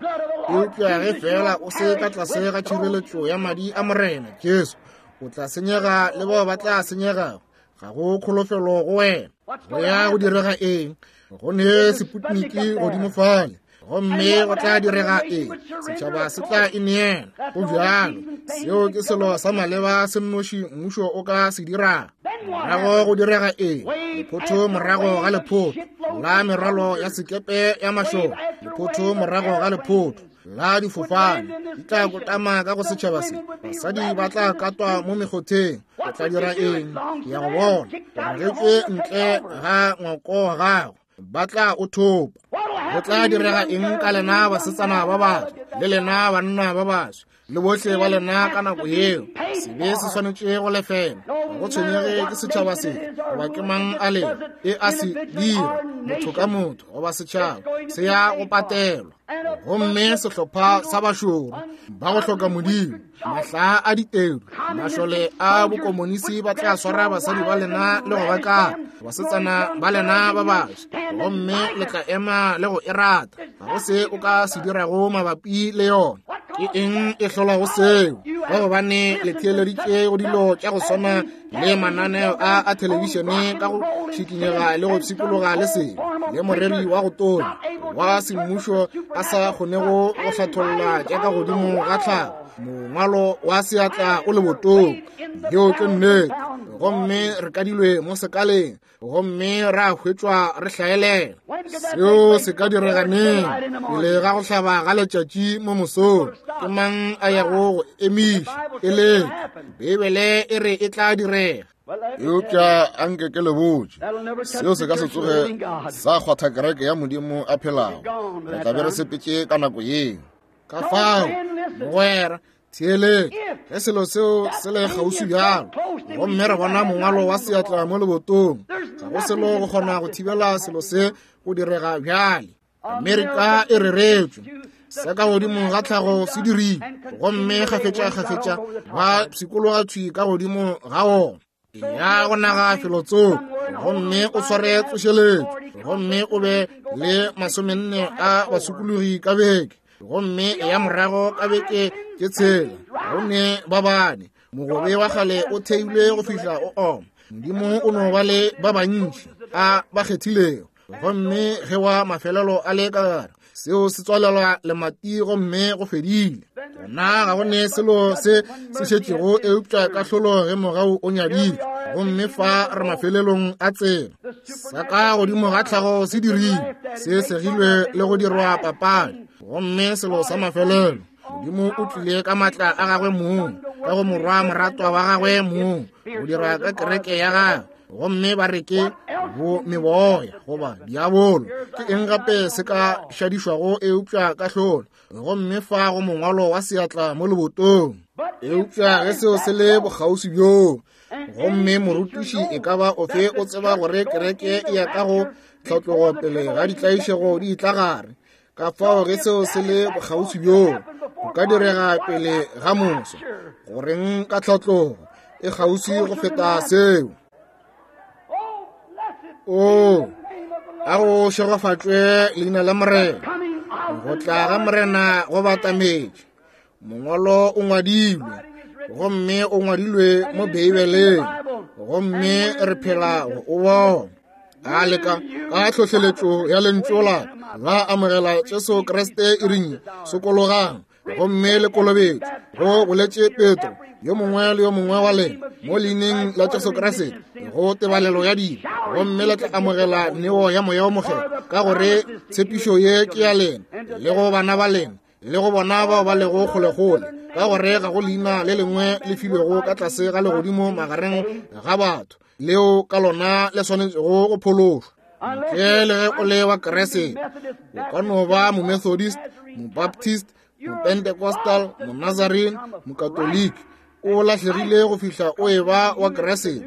eupša ge fela o se ka tlase ga tšhireletšo ya madi a Morena Jesu, o tla senyega le bao ba tla senyegago. Ga go kholofelo go wena. Go ya go direga eng? Go ne Sputniki godimo fale, gomme go tla direga eng? Setšhaba se tla ineela. Go bjalo. Seo ke selo sa maleba se nnoši mmušo o ka se dirago. Morago go direga eng? Lephotho morago ga lephotho la merwalo ya sekepe ya mašole, lephotho morago ga lephotho la difofane di tla kotama ka go setšhaba se. Basadi ba tla katwa mo mekgotheng. O tla dira eng? Ke ya go bona o ragetšwe ntle ga ngwako wa gago, ba tla o thopa. Go tla direga eng ka lena basetsana ba baso le lena banna ba baso le bohle ba lena ka nako yeo? Sebe se swanetše go lefela. Ga go tshwenyege ke setšhaba se goba ke mang a lego e a se dira, motho ka motho goba setšhaba se ya go patelwa. Gomme sehlopha sa bašoro ba go hloka Modimo, mahla a ditedu, mašole a bokomonisi ba tla swara basadi ba lena le go ba kata basetsana ba lena ba baso, gomme le tla ema le go e rata. Ga go se o ka se dirago mabapi le yona. Ke eng e hlolago seo? Ka gobane le theeleditše go dilo tša go swana le mananeo a a thelebišene ka go šikinyega le go pshikologa le selo, le moreri wa go tonya wa semmušo a sa kgonego go hlatholla tša ka godimo ga tlhago, mongwalo wa seatla o le botong. Yeo ke nnete. Gomme re kadilwe mo sekaleng, gomme ra hwetšwa re hlaelela. Seo se ka direga neng? Pele ga go hlaba ga letšatši mo mosong. Ke mang a yago go emiša? E leka. Beibele e re e tla direga. Eupša anke ke le botše, seo se ka se tsoge sa kgwatha kereke ya Modimo a phelago. Re tla be re sepetše ka nako yeo. Ka fao, mogwera, theeletša, ge selo seo se le kgauswi bjalo, gomme re bona mongwalo wa seatla mo lebotong, ga go selo go kgona go thibela selo se go direga bjale. Amerika e reretšwe, se ka godimo ga tlhago se dirile, gomme kgafetša-kgafetša ba pshikologa thwi ka godimo ga ona. Ya go naga felotsoko, gomme o sware tsošeletšo, gomme o be le masomenne a basokologi ka beke, gomme ya morago ka beke tše tshela go ne ba bane. Mogobe wa kgale o theilwe go fihla o oma. Modimo o no ba le ba bantši a ba kgethilego, gomme ge wa mafelelo a le ka gare, seo se tswalelwa lemati gomme go fedile. Gona ga go ne selo se se šetšego eupša kahlolo ge mogau o nyaditšwe, gomme fa re mafelelong a tsela. Sa ka godimo ga tlhago se dirile, se segilwe le go dirwa papadi, gomme selo sa mafelelo, Modimo o tlile ka matla a gagwe mong, ka go morwa moratwa wa gagwe mong, go dira ka kereke ya gagwe, gomme ba re ke bo meboya goba diabolo. Ke eng gape se ka šadišwago eupša kahlolo? Gomme fa go mongwalo wa seatla mo lebotong. Eupša ge seo se le bokgauswi bjoo, gomme morutiši e ka ba ofe o tseba gore kereke e ya ka go tlhatlogo pele ga ditlaišego di tla gare. Ka fao ge seo se le bokgauswi bjoo, go ka direga pele ga moso. Goreng ka tlhatlogo e kgauswi go feta seo? O, a go šegofatšwe leina la Morena. Go tla ga Morena go batametše. Mongwalo o ngwadilwe, gomme o ngwadilwe mo Beibeleng, gomme re phela go o bona. A leka ka tlhohleletšo ya lentšu la la amogela Jesu Kriste e reng, sokologang gomme le kolobetšwe, go boletše Petro, yo mongwe le yo mongwe wa lena, mo leineng la Jesu Kriste, go tebalelo ya dibe, gomme le tla amogela neo ya Moya o Mokgethwa, ka gore tshepišo ye ke ya lena le go bana ba lena le go bona bao ba lego kgolekgole, ka gore ga go leina le lengwe le filwego ka tlase ga legodimo magareng ga batho leo ka lona le swanetšego go phološwa. Ntle le ge o le wa Kriste, o ka no ba Momethodist, Mobaptist, Mopentecostal, Monazarene, Mokatoliki, o lahlegile go fihla o e ba wa Kriste,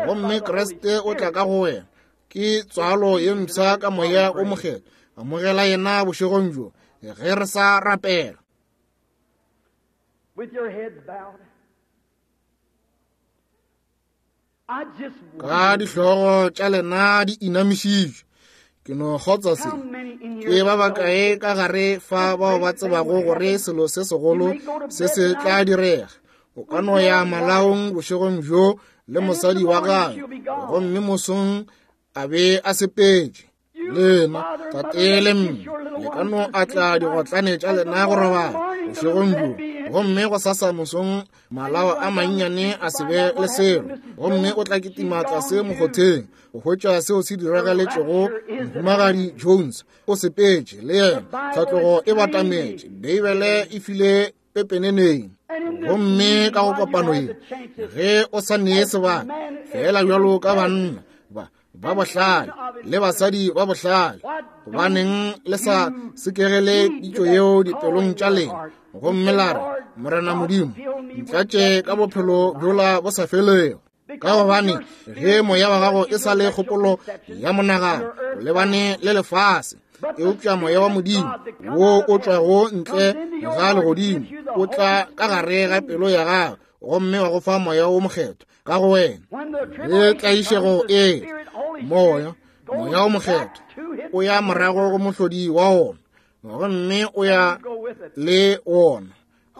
gomme Kriste o tla ka go wena. Ke tswalo ye mpsha ka Moya o Mokgethwa. Amogela yena bošegong bjo ge re sa rapela. Ka dihlogo tša lena di inamišitšwe, ke no kgotsa se. Ke ba bakae ka gare fa bao ba tsebago gore selo se segolo se se tla direga? O ka no ya malaong bošegong bjo le mosadi wa gagwe, gomme mosong a be a sepetše. Lena tate le mme le ka no atla digotlane tša lena go robala bošegong bjo, gomme go sasa mosong malao a mannyane a se be le selo, gomme o tla kitima tlase mokgotheng go hwetša seo se diragaletšego Mohumagadi Jones. O sepetše le yena, tlhatlogo e batametše, Beibele e file pepeneneng. Gomme ka go kopano ye, ge o sa nee sebaka, fela bjalo ka banna ba ba bohlale le basadi ba bohlale, gobaneng le sa sekegele pitšo yeo dipelong tša lena, gomme la re, Morena Modimo, ntlatše ka bophelo bjola bo sa felego. Ka gobane ge moya wa gago e sa le kgopolo ya monagano o lebane le lefase, eupša moya wa Modimo wo o tšwago ntle ga legodimo o tla ka gare ga pelo ya gago, gomme wa go fa moya wo mokgethwa ka go wena. Ge tlaišego e moya moya wo mokgethwa o ya morago go mohlodi wa wona, gomme o ya le wona.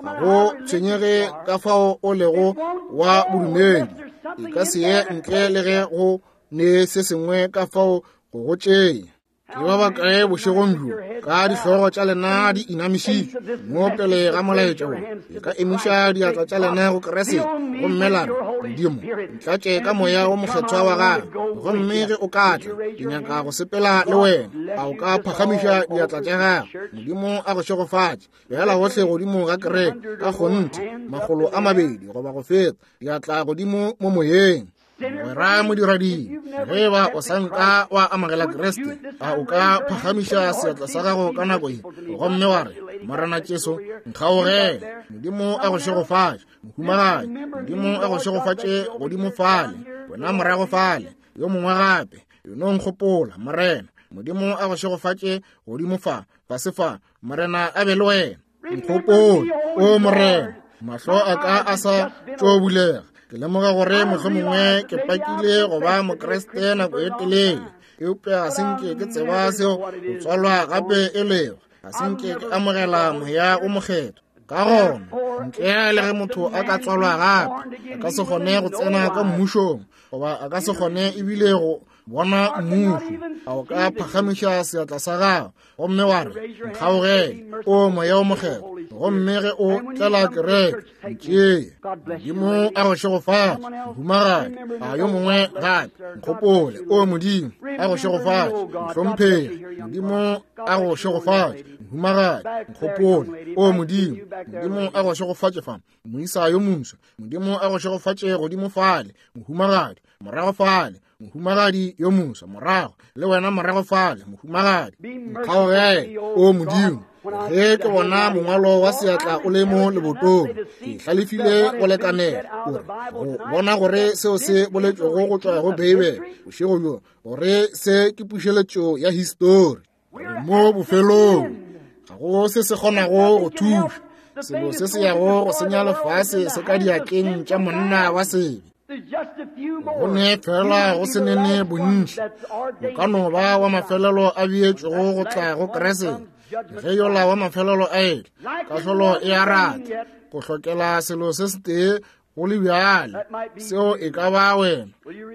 Ga go tshwenyege ka fao o lego wa bodumedi, e ka se ye ntle le ge go ne se sengwe ka fao go go tšea. Ke ba bakae bošegong bjo ka dihlogo tša lena di inamišitšwe mo pele ga molaetša wo, le ka emiša diatla tša lena go Kriste, gomme la re, Modimo, ntlatše ka moya wo mokgethwa wa gago, gomme ge o ka tla, ke nyaka go sepela le wena. A o ka phagamiša diatla tša gago? Modimo a go šegofatše. Beela gohle godimo ga kereke, ka kgonthe, makgolo a mabedi goba go feta, diatla godimo mo moyeng. Mogwera modirading, ge ba o sa nka wa amogela Kriste, a o ka phagamiša seatla sa gago ka nako ye, gomme wa re, Morena Jesu, nkgaogele. Modimo a go šegofatše, mohumagadi. Modimo a go šegofatše godimo fale, wena morago fale, yo mongwe gape. Eno nkgopola, Morena. Modimo a go šegofatše godimo fa, fase fa. Morena a be le wena. Nkgopola, o Morena. Mahlo a ka a sa tšo bulega. Ke lemoga gore mohlomongwe ke pakile go ba Mokriste nako e telele, eupša ga se nke ke tseba seo go tswalwa gape e lego. Ga se nke ke amogela moya o mokgethwa. Ka gona, ntle le ge motho a ka tswalwa gape, a ka se kgone go tsena ka mmušong, goba a ka se kgone ebile go bona mmušo. A o ka phagamiša seatla sa gago gomme wa re, nkgaogele, o moya o mokgethwa, gomme ge o tlela kereke, ntšee. Modimo a go šegofatše, mohumagadi. A yo mongwe gape, nkgopole, o Modimo a go šegofatše, mohlomphegi. Modimo a go šegofatše, mohumagadi. Nkgopole, o Modimo. Modimo a go šegofatše fa, moisa yo moswa. Modimo a go šegofatše godimo fale, mohumagadi. Morago fale, mohumagadi yo moswa. Morago le wena morago fale, mohumagadi. Nkgaogele, o Modimo. Ge ke bona mongwalo wa seatla o le mo lebotong, ke hlalefile go lekanela gore go bona gore seo se boletšwego go tšwa go Beibele bošego bjo, gore se ke pušeletšo ya histori. Mo bofelong ga go se se kgonago go thuša. Selo se se yago go senya lefase se ka diatleng tša monna wa sebe. Go ne fela go se nene bontši, o ka no ba wa mafelelo a beetšwego go tla go Kriste. Ge yola wa mafelelo a etla, kahlolo e a rata go hlokela selo se setee go le bjale, seo e ka ba wena.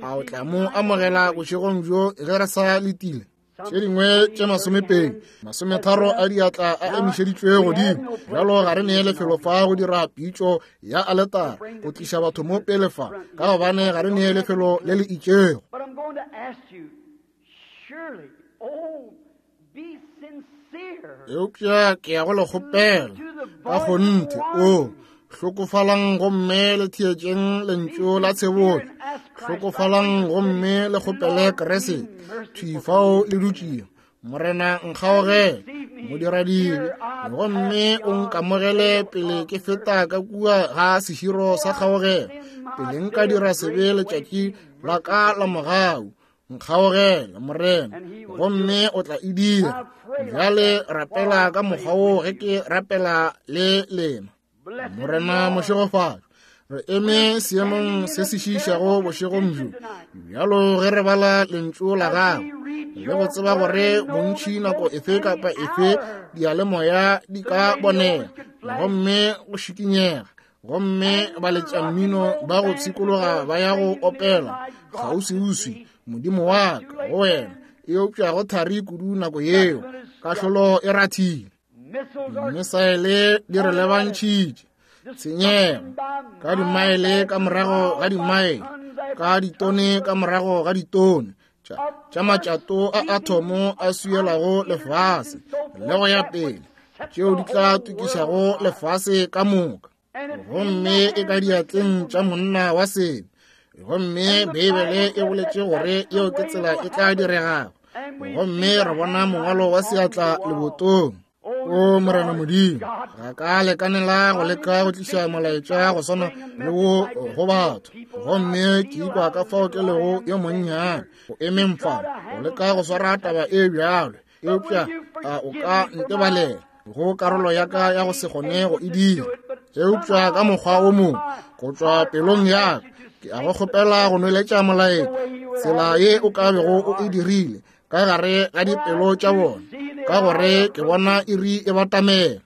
A o tla mo amogela bošegong bjo ge re sa letile? Tše dingwe tše masomepedi masometharo a diatla a emišeditšwe godimo. Bjalo ga re nee lefelo fa go dira pitšo ya aletara go tliša batho mo pele fa, ka gobane ga re nee lefelo le le itšego. Eupša ke ya go le kgopela ka kgonthe, o hlokofalang gomme le theetšeng lentšu la tshebotšo. Hlokofalang gomme le kgopele Kriste thwi fao le dutšego. Morena nkgaogele, modiradibe, gomme o nkamogele pele ke feta ka kua ga seširo sa kgaogelo, pele nka dira sebe letšatši la ka la mogau. Nkgaogele, Morena, gomme o tla e dira. Bjale rapela ka mokgwa wo ge ke rapela le lena. Morena mošegofatšo, re eme seemong se se šiišago bošegong bjo bjalo ge re bala lentšu la gago, le go tseba gore bontši nako efe kapa efe diyalemoya di ka bonega gomme go šikinyega, gomme baletšammino ba go pshikologa ba ya go opela kgauswiuswi, Modimo wa ka go wena, Eupša go thari kudu nako yeo, kahlolo e rathile. Dimesaele di re lebantšhitše, tshenyego ka dimaele ka morago ga dimaele, ka ditone ka morago ga ditone tša matšato a athomo a swielago lefase le go ya pele, tšeo di tla tukišago lefase ka moka. Gomme e ka diatleng tša monna wa sebe. Gomme Beibele e boletše gore yeo ke tsela e tla diregago. Gomme re bona mongwalo wa seatla lebotong. O Morena Modimo, ga ka lekanela go leka go tliša molaetša go swana le wo go batho. Gomme ke ikwa ka fao ke lego yo monnyane go emeng fa go leka go swara taba e bjalo. Eupša a o ka ntebalela go karolo ya ka ya go se kgone go e dira. Eupša ka mokgwa o mongwe go tšwa pelong ya ka, ke a go kgopela go nweletša molaetša tsela ye o ka bego o e dirile ka gare ga dipelo tša bona, ka gore ke bona iri e batamela.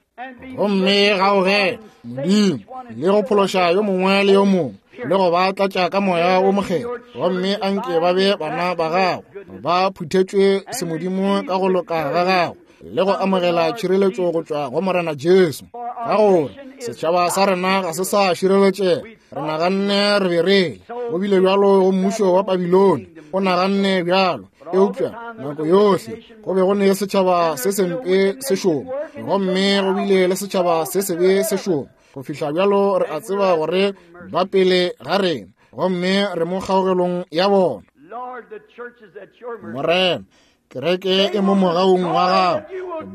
Gomme gaogela Modimo le go phološa yo mongwe le yo mongwe le go ba tlatša ka moya wo mokgethwa. Gomme anke ba be bana ba gago, ba phuthetšwe semodimo ka go loka ga gago le go amogela tšhireletšo go tšwa go Morena Jesu. Ka gore setšhaba sa rena ga se sa šireletšega. Re naganne re be re go bile bjalo go mmušo wa Babilone, o naganne bjalo. Eupša nako yohle go be go ne setšhaba se sempe se šoma, gomme go bile le setšhaba se sebe se šoma. Go fihla bjalo re a tseba gore ba pele ga rena, gomme re mo kgaogelong ya bona. Morena, kereke e mo mogaung wa gago,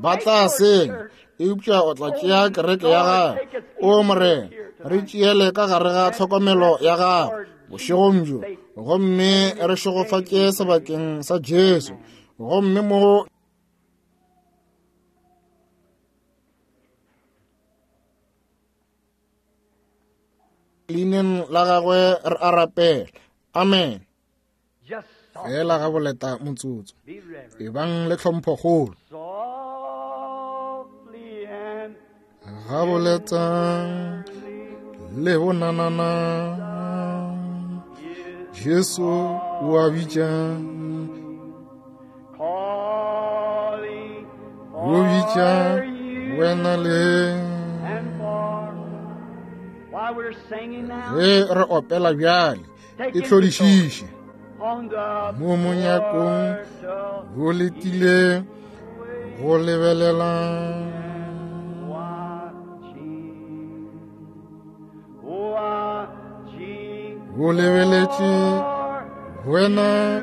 ba tla senya, eupša o tla tšea kereke ya gago. O Morena, re tšeele ka gare ga tlhokomelo ya gago bošegong bjo, gomme re šegofatše sebakeng sa Jesu. Gomme mo leineng la gagwe re a rapela. Amen. Fela ga boleta motsotso, ebang le tlhomphokgolo. Ga boleta le bonanana, Jesu o a bitša, o bitša wena le. Ge re opela bjale, e hlodišiše mo monyakong, go letile go lebelela. Go lebeletše wena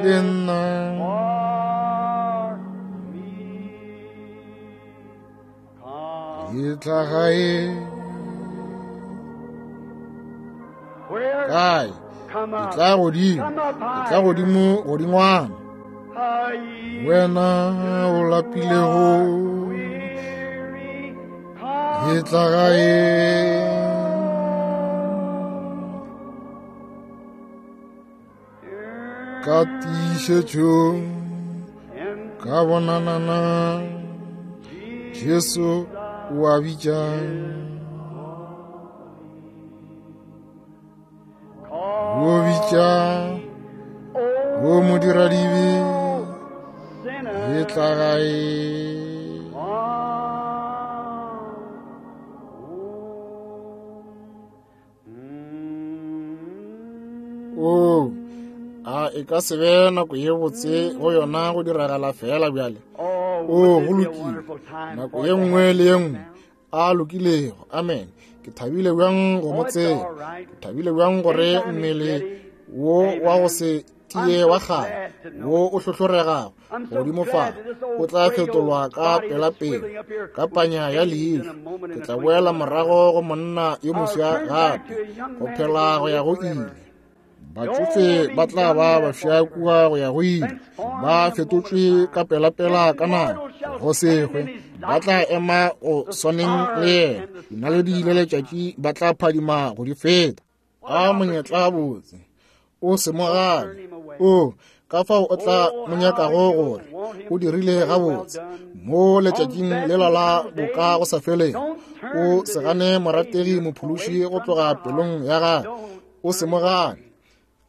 le nna. Etla gae. Kae? Etla godimo, etla godimo godingwana. Wena o lapilego, etla gae. Ka tiišetšo, ka bonanana, Jesu o a bitša. O bitša, o modiradibe, etla gae. O, a e ka se be nako ye botse go yona go diragala fela bjale. O go lokile, nako ye nngwe le ye nngwe a lokilego. Amen. Ke thabile bjang go mo tseba. Ke thabile bjang gore mmele wo wa go se tie wa kgale wo o hlohloregago godimo fa o tla fetolwa ka pelapele ka panya ya leihlo. Ke tla boela morago go monna yo moswa gape, go phela go ya go ile. Batšofe ba tla ba bafša kua go ya go ile, ba fetotšwe ka pelapela ka nako go se hwe. Ba tla ema go swaneng le yena. Dinaledi le letšatši ba tla phadima go di feta. A monyetla botse, o se mo gane. O ka fao o tla mo nyakago gore o dirile gabotse mo letšatšing lela la boka go sa feleng. O se gane morategi mophološi go tloga pelong ya gagwe. O se mo gane.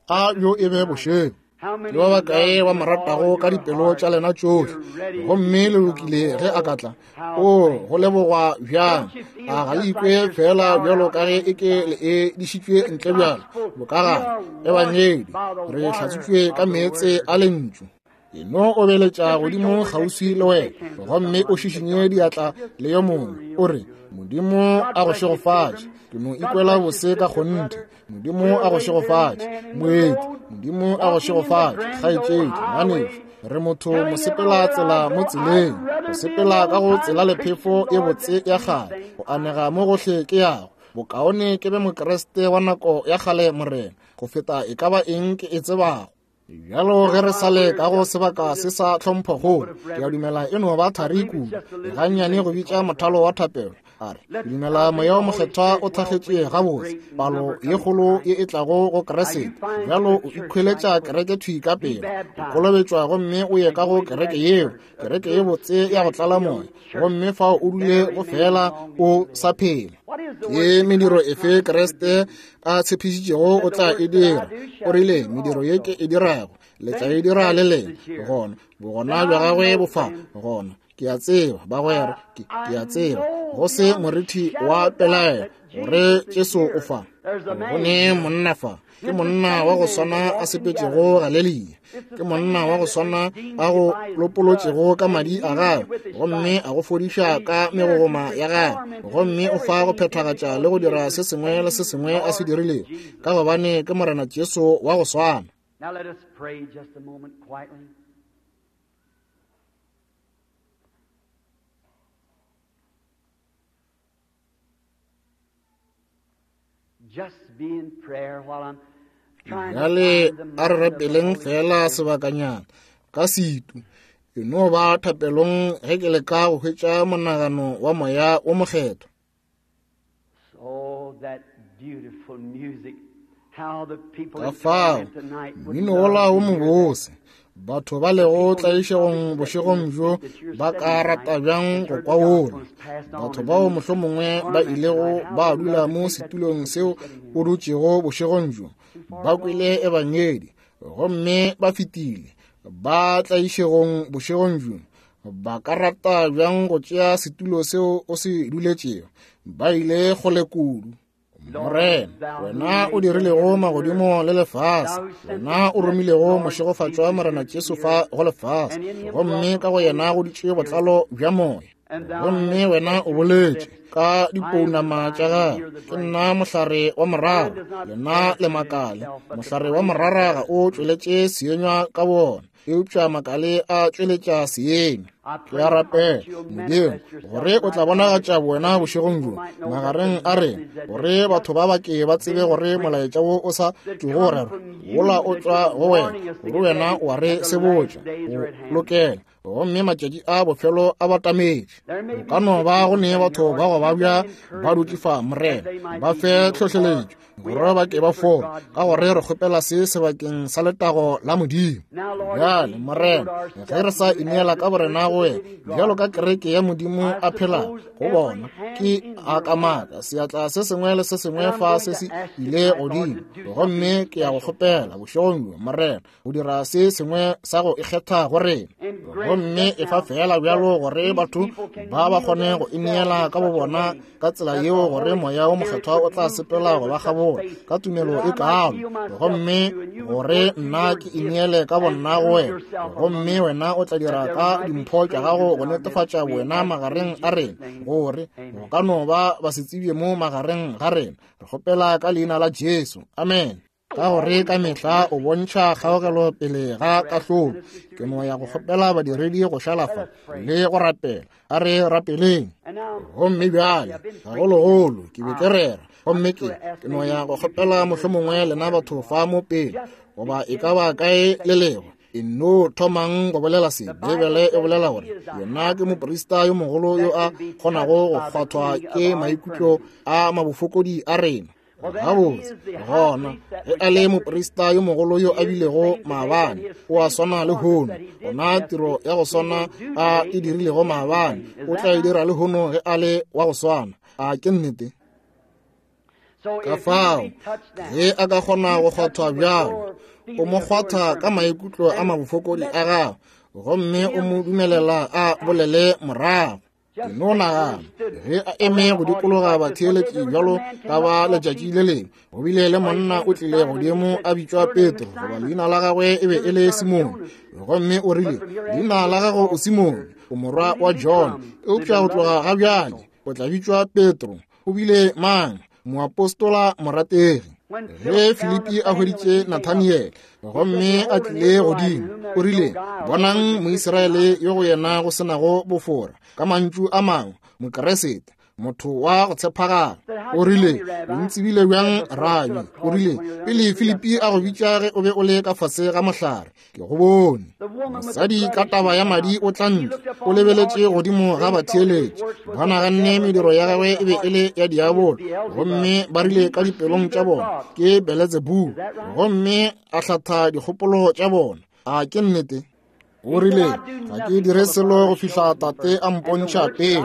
A yo e be bošego. Ke ba bakae ba mo ratago ka dipelo tša lena tšohle, gomme le lokile ge a ka tla? O go lebogwa bjang! A ga le ikwe fela bjalo ka ge e ke le e dišitšwe ntle bjalo bokagare? Ebangedi re hlatswitšwe ka meetse a lentšu. E no obeletša godimo kgauswi le wena, gomme o šišinye diatla le yo mongwe, o re, Modimo a go šegofatše. Ke no ikwela bose ka kgonthe. Modimo a go šegofatše, moeti. Modimo a go šegofatše, kgaetšedi, ngwanešu. Re motho mosepela tsela mo tseleng, go sepela ka go tsela lephefo e botse ya kgale, go anega mo gohle ke yago. Bokaone ke be Mokriste wa nako ya kgale, Morena, go feta e ka ba eng ke e tsebago. Bjalo ge re sa le ka go sebaka se sa tlhomphokgolo, ke a dumela e no ba thari kudu gannyane go bitša mothalo wa thapelo. A re, ke dumela Moya o Mokgethwa o thakgetše gabotse palo ye kgolo ye e tlago go Kriste. Bjalo o ikhweletša kereke thwi ka pele, o kolobetšwa gomme o ye ka go kereke yeo, kereke ye botse ya go tlala moya, gomme fao o dule go fela o sa phela. Ke mediro efe Kriste a tshepišitšego o tla e dira? O rile, mediro ye ke e dirago le tla e dira le lena. Gona bogona bja gagwe bo fa. Gona ke a tseba, bagwera, ke, ke a tseba go se morithi wa pelaelo gore Jesu o fa. Go ne monna fa, ke monna wa go swana a sepetšego Galelia, ke monna wa go swana a go lopolotšego ka madi a gagwe, gomme a go fodiša ka megogoma ya gagwe, gomme o fa go phethagatša le go dira se sengwe le se sengwe a se dirilego, ka gobane ke Morena Jesu wa go swana. Now let us pray just a moment quietly. Just be in prayer while I'm trying to Bjale find the a re mind of the rapeleng Holy fela Spirit. sebakanyana ka setu. E no ba thapelong ge ke leka go hwetša monagano wa Moya o Mokgethwa. Oh, that beautiful music. How the people Ka in fao torment tonight would mmino love wola to wo hear that. mobose, batho ba lego tlaišegong bošegong bjo ba ka rata bjang go kwa wola. Batho bao mohlomongwe ba ilego ba dula mo setulong seo o dutšego bošegong bjo, ba kwele ebangedi gomme ba fetile ba tlaišegong bošegong bjo, ba ka rata bjang go tšea setulo seo o se duletšego? Ba ile kgole kudu. Morena, wena o dirilego magodimo le lefase, wena o romilego mošegofatšwa Morena Jesu fa go lefase, gomme ka go yena go dutše botlalo bja moya. Gomme wena o boletše ka dipounama tša gagwe, ke nna mohlare wa morara, lena le makale. Mohlare wa morara ga o tšweletše seenywa ka wona, eupša makale a tšweletša seenywa. Ke a rapela, Modimo, gore o tla bonagatša wena bošegong bjo magareng a rena, gore batho ba bake ba tsebe gore molaetša wo o sa tšwego go rerwa wola o tšwa go wena, gore wena o a re sebotša o lokela, gomme matšatši a bofelo a batametše. Go ka no ba go ne batho ba go babja ba dutše fa, Morena, ba fe tlhohleletšo gore ba ke ba fole, ka gore re kgopela se sebakeng sa letago la Modimo. Bjale, Morena, ge re sa ineela ka borena go wena bjalo ka kereke ya Modimo a phelago go bona, ke a kamaka seatla se sengwe le se sengwe fa se se ile godimo, gomme ke ya go kgopela bošegong bjo, Morena, go dira se sengwe sa go ikgetha go rena, gomme e fa fela bjalo gore batho ba ba kgone go ineela ka bo bona ka tsela yeo, gore Moya o Mokgethwa o tla sepela go ba kgabola ka tumelo e kalo, gomme gore nna ke ineele ka bonna go wena, gomme wena o tla dira ka dimpho tša gago go netefatša wena magareng a rena, gore go ka no ba ba se tsebje mo magareng ga rena. Re kgopela ka leina la Jesu, amen. Ka gore ka mehla o bontšha kgaogelo pele ga kahlolo. Ke no ya go kgopela badiredi go šala fa le go rapela. A re rapeleng. Gomme bjale gagologolo ke be ke rera, gomme ke ke no ya go kgopela mohlomongwe lena batho fa mo pele, goba e ka ba kae le lego, e no thomang go bolela se. Beibele e bolela gore yena ke moprista yo mogolo yo a kgonago go kgwathwa ke maikutlo a mabofokodi a rena. Gabotse, gona ge a le moprista yo mogolo yo a bilego maabane, o a swana le hono. Gona tiro ya go swana a e dirilego maabane, o tla e dira le hono ge a le wa go swana. A ke nnete? Ka fao ge a ka kgona go kgwathwa bjalo, o mo kgwatha ka maikutlo a mabofokodi a gago, gomme o mo dumelela a bolele morago. Ke no nagana ge a eme go dikologa batheeletši bjalo ka ba letšatši le lengwe, go bile le monna o tlile godimo a bitšwa Petro, goba leina la gagwe e be e le Simone, gomme o rile, leina la gago o Simone, o morwa wa John, eupša go tloga ga bjale o tla bitšwa Petro. O bile mang? Moapostola morategi. Ge Filipi a hweditše Nathaniel gomme a tlile godimo, o rile, bonang Moisraele yo go yena go senago bofora, ka mantšu a mangwe, Mokeresete, motho wa go tshepagala. O rile, o ntsebile bjang, Rabi? O rile, pele Filipi a go bitša ge o be o le ka fase ga mohlare, ke go bone. Mosadi ka taba ya madi o tla ntle, o lebeletše godimo ga batheeletši, ba naganne mediro ya gagwe e be e le ya diabolo, gomme ba rile ka dipelong tša bona ke Beletsebubu, gomme a hlatha dikgopolo tša bona. A ke nnete? O rile, ga ke dire selo go fihla Tate a mpontšha pele,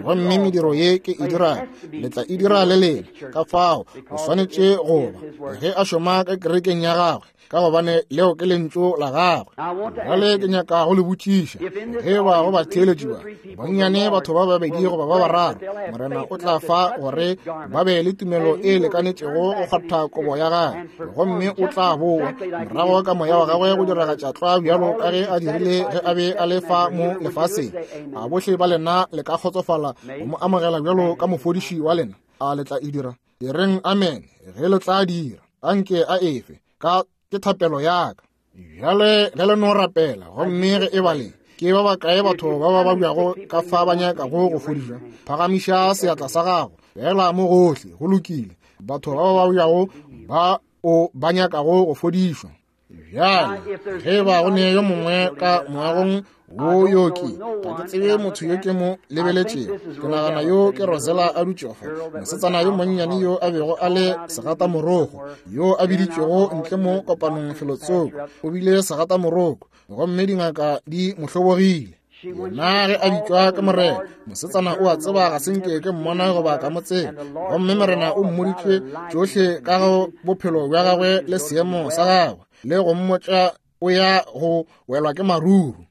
gomme mediro ye ke e dirago le tla e dira le lena. Ka fao o swanetše go ba ge a šoma ka kerekeng ya gagwe, ka gobane leo ke lentšu la gagwe. Bjale ke nyaka go le botšiša, ge ba go batheeletši ba bonnyane batho ba babedi goba ba bararo, Morena o tla fa gore ba be le tumelo e lekanetšego go kgwatha kobo ya gagwe, gomme o tla boa morago ka moya wa gagwe go diragatša tlwa bjalo ka ge a dirile ge a be a le fa mo lefaseng. A bohle ba lena le ka kgotsofala go mo amogela bjalo ka mofodiši wa lena? A le tla e dira? E reng amen ge le tla dira. Anke a efe ka ke thapelo ya ka. Bjale ge le no rapela, gomme ge e ba le ke ba bakae batho ba ba babjago ka fa ba nyakago go fodišwa, phagamiša seatla sa gago fela mo gohle. Go lokile. Batho ba ba babjago ba o ba nyakago go fodišwa. Bjale ge ba go ne yo mongwe ka moagong wo yo ke, ga ke tsebe motho yo ke mo lebeletšego. Ke nagana yo ke Rosella a dutšego fa, mosetsana yo monnyane yo a bego a le segatamoroko, yo a biditšwego ntle mo kopanong felotsoko. O bile segatamoroko, gomme dingaka di mo hlobogile. Yena ge a bitšwa ke Morena, mosetsana o a tseba ga se nke ke mmona goba ka mo tseba, gomme Morena o mmoditše tšohle ka go bophelo bja gagwe le seemo sa gagwe, le go mmotša o ya go welwa ke maruru.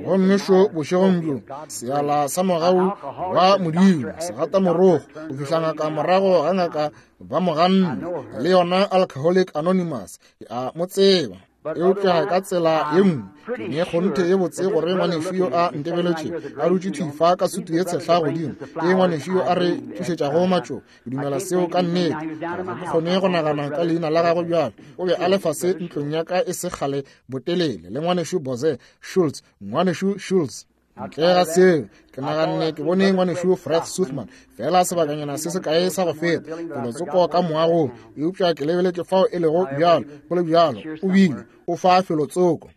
Gomme šo bošegong bjo, seala sa mogau wa Modimo segatamorogo go fihla ngaka morago ga ngaka ba mo ganne, le yona Alcoholic Anonymous ke a mo tseba. Eupša ka tsela ye nngwe ke ne kgonthe ye botse gore ngwanešu yo a ntebeletše a dutše thwi fa ka sutu ye tshehla godimo, ke ngwanešu yo a re tlišetšago matšo. Ke dumela seo ka nnete. Ga ke kgone go nagana ka leina la gagwe bjalo. O be a le fase ntlong ya ka e se kgale botelele le ngwanešu Boze Schultz, ngwanešu Schultz. Ntle ga seo, ke naganne ke bone ngwanešu Fred Suthman fela sebakanyana se sekae sa go feta felotsoko ka moagong, eupša ke lebeletše fao e lego bjalo, go le bjalo o bile o fa felotsoko.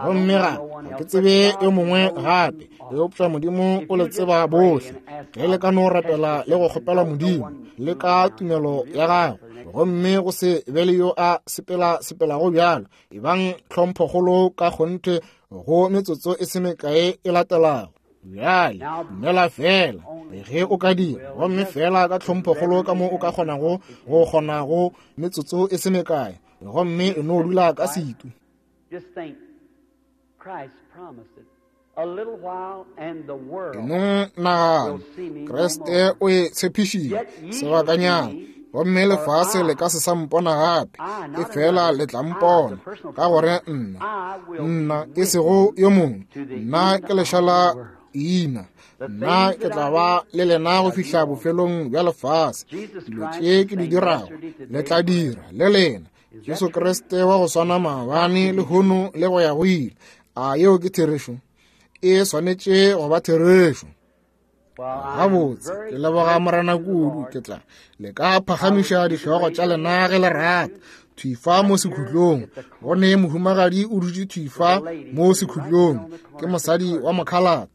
Gomme ga ga ke tsebe yo mongwe gape, eupša Modimo o le tseba bohle. Ge le ka no rapela le go kgopela Modimo le ka tumelo ya gago, gomme go se be le yo a sepela sepelago bjalo, ebang tlhomphokgolo ka kgonthe go metsotso e se mekae e latelago. Bjale dumela fela ge o ka dira, gomme fela ka tlhomphokgolo ka mo o ka kgonago go kgona go metsotso e se mekae, gomme e no dula ka setu. E no nagana, Kriste o e tshepišitše sebakanyana, gomme lefase le ka se sa mpona gape, e fela le tla mpona, ka gore nna, nna e sego yo mongwe, nna ke lešala ina, nna ke tla ba le lena go fihla bofelong bja lefase. Dilo tše ke di dirago le tla dira le lena. Jesu Kriste wa go swana maabane, lehono le go ya go ile. A yeo ke therešo? E swanetše go ba therešo. Gabotse, ke leboga Morena kudu. Ke tla le ka phagamiša dihlogo tša lena ge le rata. Thwi fa mo sekhutlong, go ne mohumagadi o dutše thwi fa mo sekhutlong, ke mosadi wa mokhalate.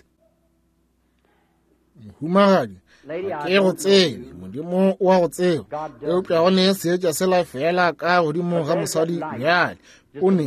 Mohumagadi, Ke go tsebe, Modimo o a go tseba, eupša go ne seetša sela fela ka godimo ga mosadi bjale. O ne,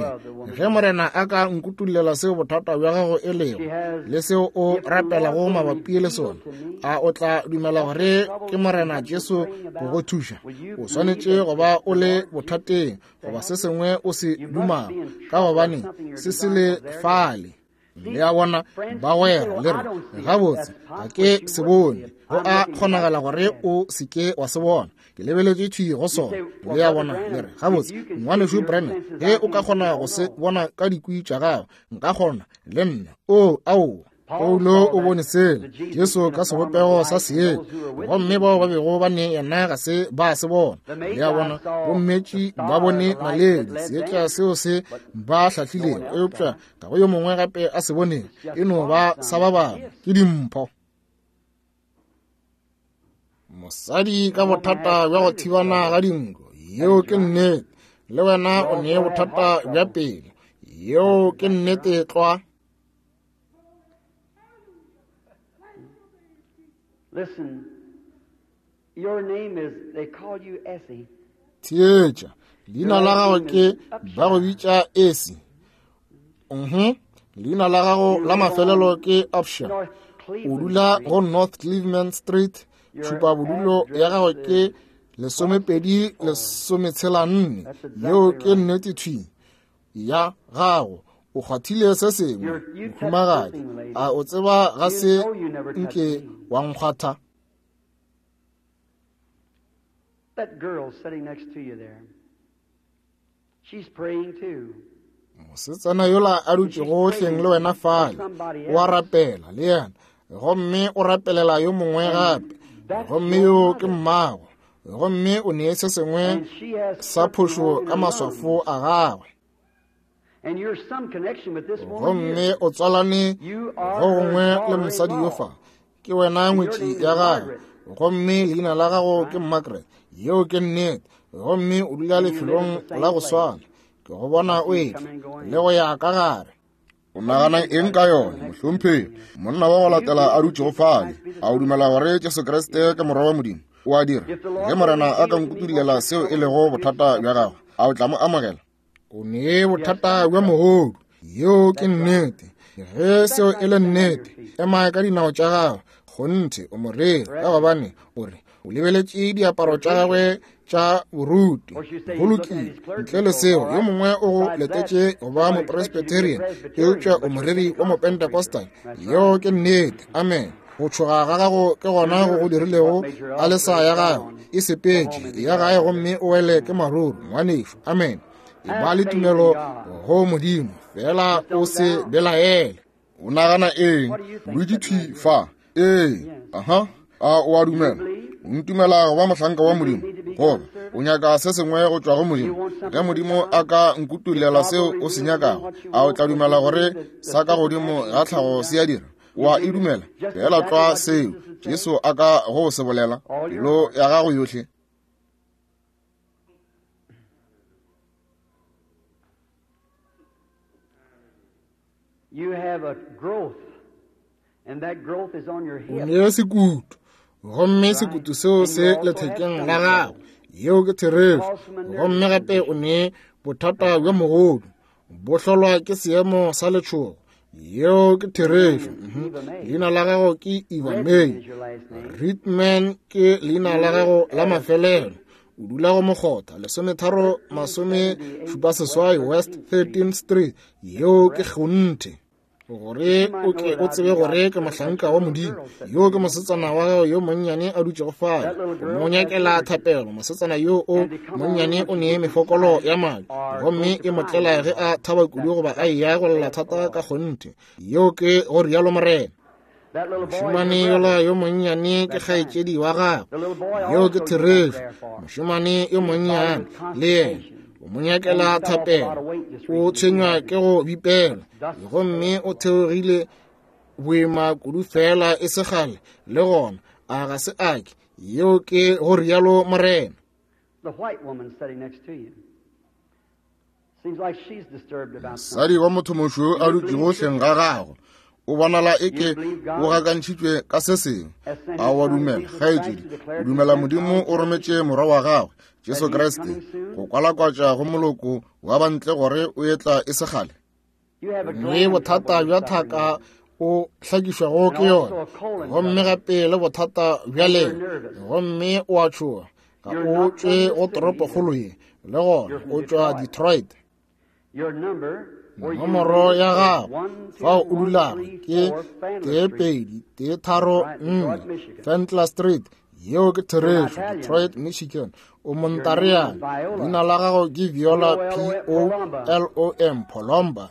ge Morena a ka nkutullela seo bothata bja gago e lego le seo o rapelago mabapi le sona, a o tla dumela gore ke Morena Jesu go go thuša? O swanetše go ba o le bothateng goba se sengwe o se dumago, ka gobane se se le fale. Le a bona, bagwera, le re gabotse ga ke se bone. Go a kgonagala gore o se ke wa se bona. Ke lebeletše thwi go sona. Le a bona, le re gabotse ngwanešu Branham, ge o ka kgona go se bona ka dikwi tša gago, nka kgona le nna. O aowa, Paulo o bone sela Jesu ka sebopego sa seetša, gomme bao ba bego ba ne yena ga se ba se bona. Le a bona, bommetši ba bone naledi, seetša seo se ba hlahlilego, eupša ga go yo mongwe gape a se boneng, e no ba sa ba bangwe, ke dimpho. Mosadi ka bothata bja go thibana ga dinko, yeo ke nnete. Le wena o ne bothata bja pelo, yeo ke nnete tlwa. Listen, your name is, they call you Essie. Theetša, leina la gago ke ba go bitša Essie. Mhm. Leina la gago la mafelelo ke Upshaw. O dula go North Cleveland Street. Tšhupa bodulo ya gago ke lesomepedi lesometshela nne. Yeo ke nnete thwi ya gago. O kgwathile se sengwe, mohumagadi. A o tseba ga se nke wa nkgwatha? That girl sitting next to you there, she's praying too. Mosetsana yola a dutšego hleng le wena fale, o a rapela le yena, gomme o rapelela yo mongwe gape, gomme yo ke mmago, gomme o nee se sengwe sa phošo ka maswafo a gagwe. Gomme o tswalane go gongwe le mosadi yo fa, ke wena ngwetši ya gagwe, gomme leina la gago ke Margaret. Yeo ke nnete. Gomme o dula lefelong la go swana. Ke go bona o etla le go ya ka gare. O nagana eng ka yona, mohlomphegi? Monna wa go latela a dutšego fale, a o dumela gore Jesu Kriste ke Morwa wa Modimo? O a dira. Ge Morena a ka nkutullela seo e lego bothata bja gago, a o tla mo amogela? O ne bothata bja mogodu. Yeo ke nnete. Ge seo e le nnete, ema ka dinao tša gago. Kgonthe o moreri, ka gobane o re o lebeletše diaparo tša gagwe tša boruti. Go lokile, ntle le seo yo mongwe o go letetše go ba mopresbyterian, eupša o moreri wa mopentecostal. Yeo ke nnete. Amen. Go tšhoga ga gago ke gona go go dirilego alesa ya gago e sepetše ya gae, gomme o wele ke maruru, ngwanešo. Amen. E ba le tumelo go Modimo, fela o se belaele. O nagana eng? Dutše thwi fa. Ee, aha, a o a dumela? O ntumela go ba mohlanka wa Modimo, goba o nyaka se sengwe go tšwa go Modimo? Ge Modimo a ka nkutullela seo o se nyakago, a o tla dumela gore sa ka godimo ga tlhago se a dira? O a e dumela? Fela tlwa seo Jesu a ka go se bolela, pelo ya gago yohle. You have a growth, and that growth is on your O hip. ne sekutu, gomme sekutu seo se lethekeng la gago. Yeo ke therešo. Gomme gape o ne bothata bja mogodu, bo hlolwa ke seemo sa letšhogo. Yeo ke therešo. Leina la gago ke Eva May. Ritman ke leina la gago la mafelelo. O dula go mokgotha lesometharo masome šupa seswai West thirteenth Street. Yeo ke kgonthe. Gore o ke o tsebe gore ke mohlanka wa Modimo. Yo ke mosetsana wa gago yo monnyane a dutšego fale, o mo nyakela thapelo. Mosetsana yo o monnyane o ne mefokolo ya madi, gomme e mo tlela ge a thaba kudu goba a eya go lla thata ka kgonthe. Yeo ke go rialo Morena. Mošemane yola yo monnyane ke kgaetšedi wa gagwe. Yeo ke therešo. Mošemane yo monnyane le yena o mo nyakela thapelo. O tshwenywa ke go bipela, gomme o theogile boima kudu fela e se kgale le gona. A ga se ake? Yeo ke go rialo Morena. The white woman sitting next to you. Seems like she's disturbed about Mosadi wa motho mošweu a dutšego hleng ga gago, O bonala eke o gakantšhitšwe ka se sengwe. A wa dumela, kgaetšedi? O dumela Modimo o rometše morwa wa gagwe, Jesu Kriste, go kwalakwatša go moloko wa bantle gore o etla e se kgale? Mme bothata bja thaka o hlakišwago ke yona, gomme gape le bothata bja lena, gomme o a tšhoga. Ga o tšwe go toropokgolo ye, le gona o tšwa Detroit. Nomoro ya gago fao o dulago ke tee pedi tee tharo nne Fentler Street. Yeo ke therešo, Detroit, Michigan. O Montariana. Leina la gago ke Viola, P O L O M, Polomba.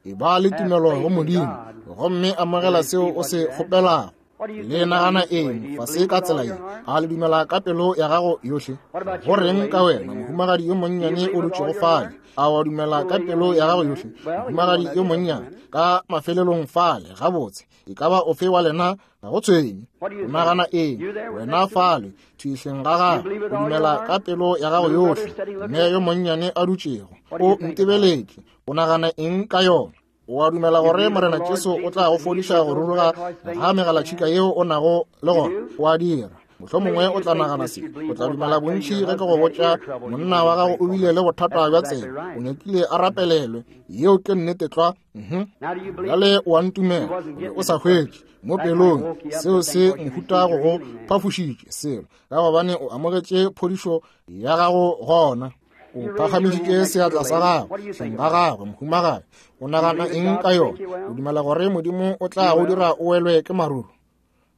E ba le tumelo go Modimo, gomme amogela seo o se kgopelago. Le nagana eng fase ka tsela ye? A le dumela ka pelo ya gago yohle? Go reng ka wena, mohumagadi yo monnyane o dutšego fale? A wa dumela ka pelo ya gago yohle, mohumagadi yo monnyane ka mafelelong fale? Gabotse, e ka ba ofe wa lena, ga go tshwenye. O nagana eng wena fale thuihleng ga gago? O dumela ka pelo ya gago yohle? Mme yo monnyane a dutšego o ntebeletše, o nagana eng ka yona? O a dumela gore Morena Jesu o tla go fodiša go ruruga ga megalatšhika yeo o nago le gona? O a dira. Mohlomongwe o tla nagana se, o tla dumela bontši ge ke go botša monna wa gago o bile le bothata bja tsela, o nyakile a rapelelwe. Yeo ke nnete tlwa. Bjale o a ntumela, o sa hwetše mo pelong. Seo se mohuta go go phafošitše selo, ka gobane o amogetše phodišo ya gago gona. O phagamišitše seatla sa gago hleng ga gagwe, mohumagadi. O nagana eng ka yona? O dumela gore Modimo o tla go dira o welwe ke maruru?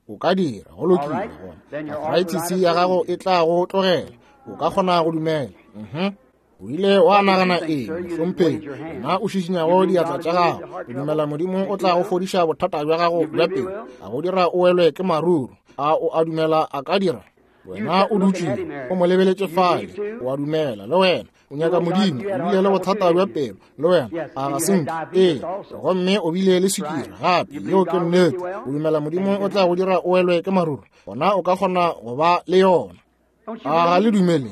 O ka dira, go lokile. Gona arthritis ya gago e tla go tlogela. O ka kgona go dumela. O ile wa nagana eng, mohlomphegi? Wena o šišinyago diatla tša gago, o dumela Modimo o tla go fodiša bothata bja gago bja pelo, a go dira o welwe ke maruru? A o a dumela a ka dira? Wena o dutše o mo lebeletše fale, o a dumela le wena. O nyaka Modimo, o bile le bothata bja pelo le wena, a ga se nke? Ee, gomme o bile le swikiri gape. Yeo ke nnete. O dumela Modimo o tla go dira o welwe ke maruru? Gona o ka kgona go ba le yona. A ga le dumele?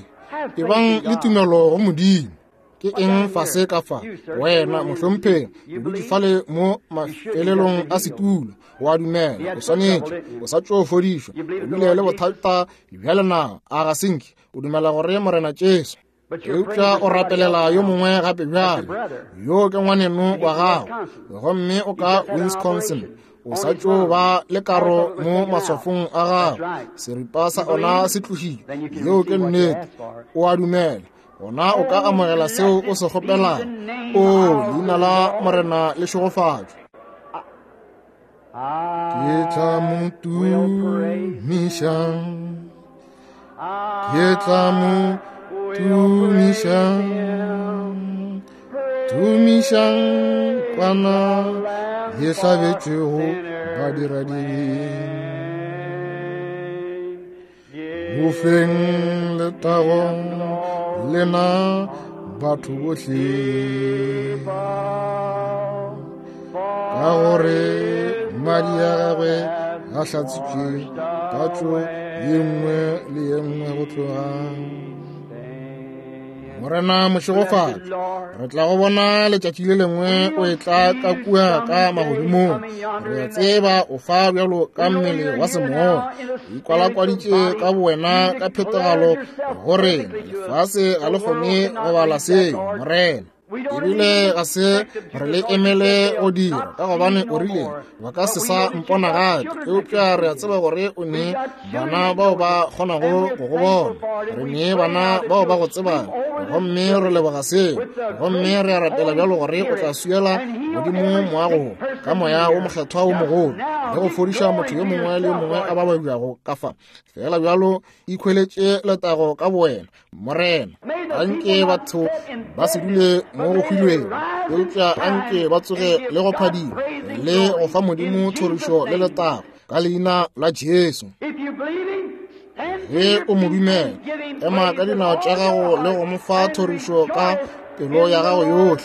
Ebang le tumelo go Modimo. Ke eng fase ka fa? Wena mohlomphegi, o dutše fale mo mafelelong a setulo, o a dumela. O swanetše, o sa tšo fodišwa, o bile le bothata bja lenao, a ga se nke? O dumela gore Morena Jesu? Eupša o rapelela yo mongwe gape bjale, yo ke ngwaneno wa gago, gomme o ka Wisconsin. O sa tšo ba le karo mo maswafong a gago, seripa sa ona se tlogile. Yeo ke nnete. O a dumela, gona o ka amogela seo o se kgopelago. O, leina la Morena le šegofatšwe. Ke tla mo tumiša, ke tla mo tumiša, tumiša kwana ye hlabetšwego badiradibe. Mo feng letago lena batho bohle, ka gore madi a gagwe a hlatsitšwe tatso ye nngwe le ye nngwe go tloga. Morena mošegofatše, re tla go bona letšatši le lengwe o etla ka kua ka magodimong. Re a tseba o fa bjalo ka mmele wa semoya, o ikwalakwaditše ka bowena ka phethagalo go rena. Lefase ga le kgone go bala seo, Morena. Ebile ga se re le emele go dira, ka gobane o rile ba ka se sa mpona gape. Eupša re a tseba gore o ne bana bao ba kgonago go go bona, re ne bana bao ba go tsebang, gomme re leboga seo. Gomme re a rapela bjalo gore o tla swiela godimo moago ka moya wo mokgethwa wo mogolo, le go fodiša motho yo mongwe le yo mongwe a ba babjago ka fa. Fela bjalo ikhweletše letago ka bowena, Morena. Anke batho ba se dule mo go hwilwego, eupša anke ba tsoge le go phadima le go fa Modimo thorišo le letago ka leina la Jesu. Ge o mo dumela, ema ka dinao tša gago le go mo fa thorišo ka pelo ya gago yohle,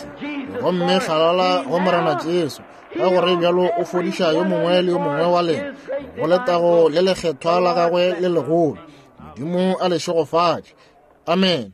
gomme hlalala go Morena Jesu, ka gore bjalo o fodiša yo mongwe le yo mongwe wa lena go letago le lekgethwa la gagwe le legolo. Modimo a le šegofatše. Amen.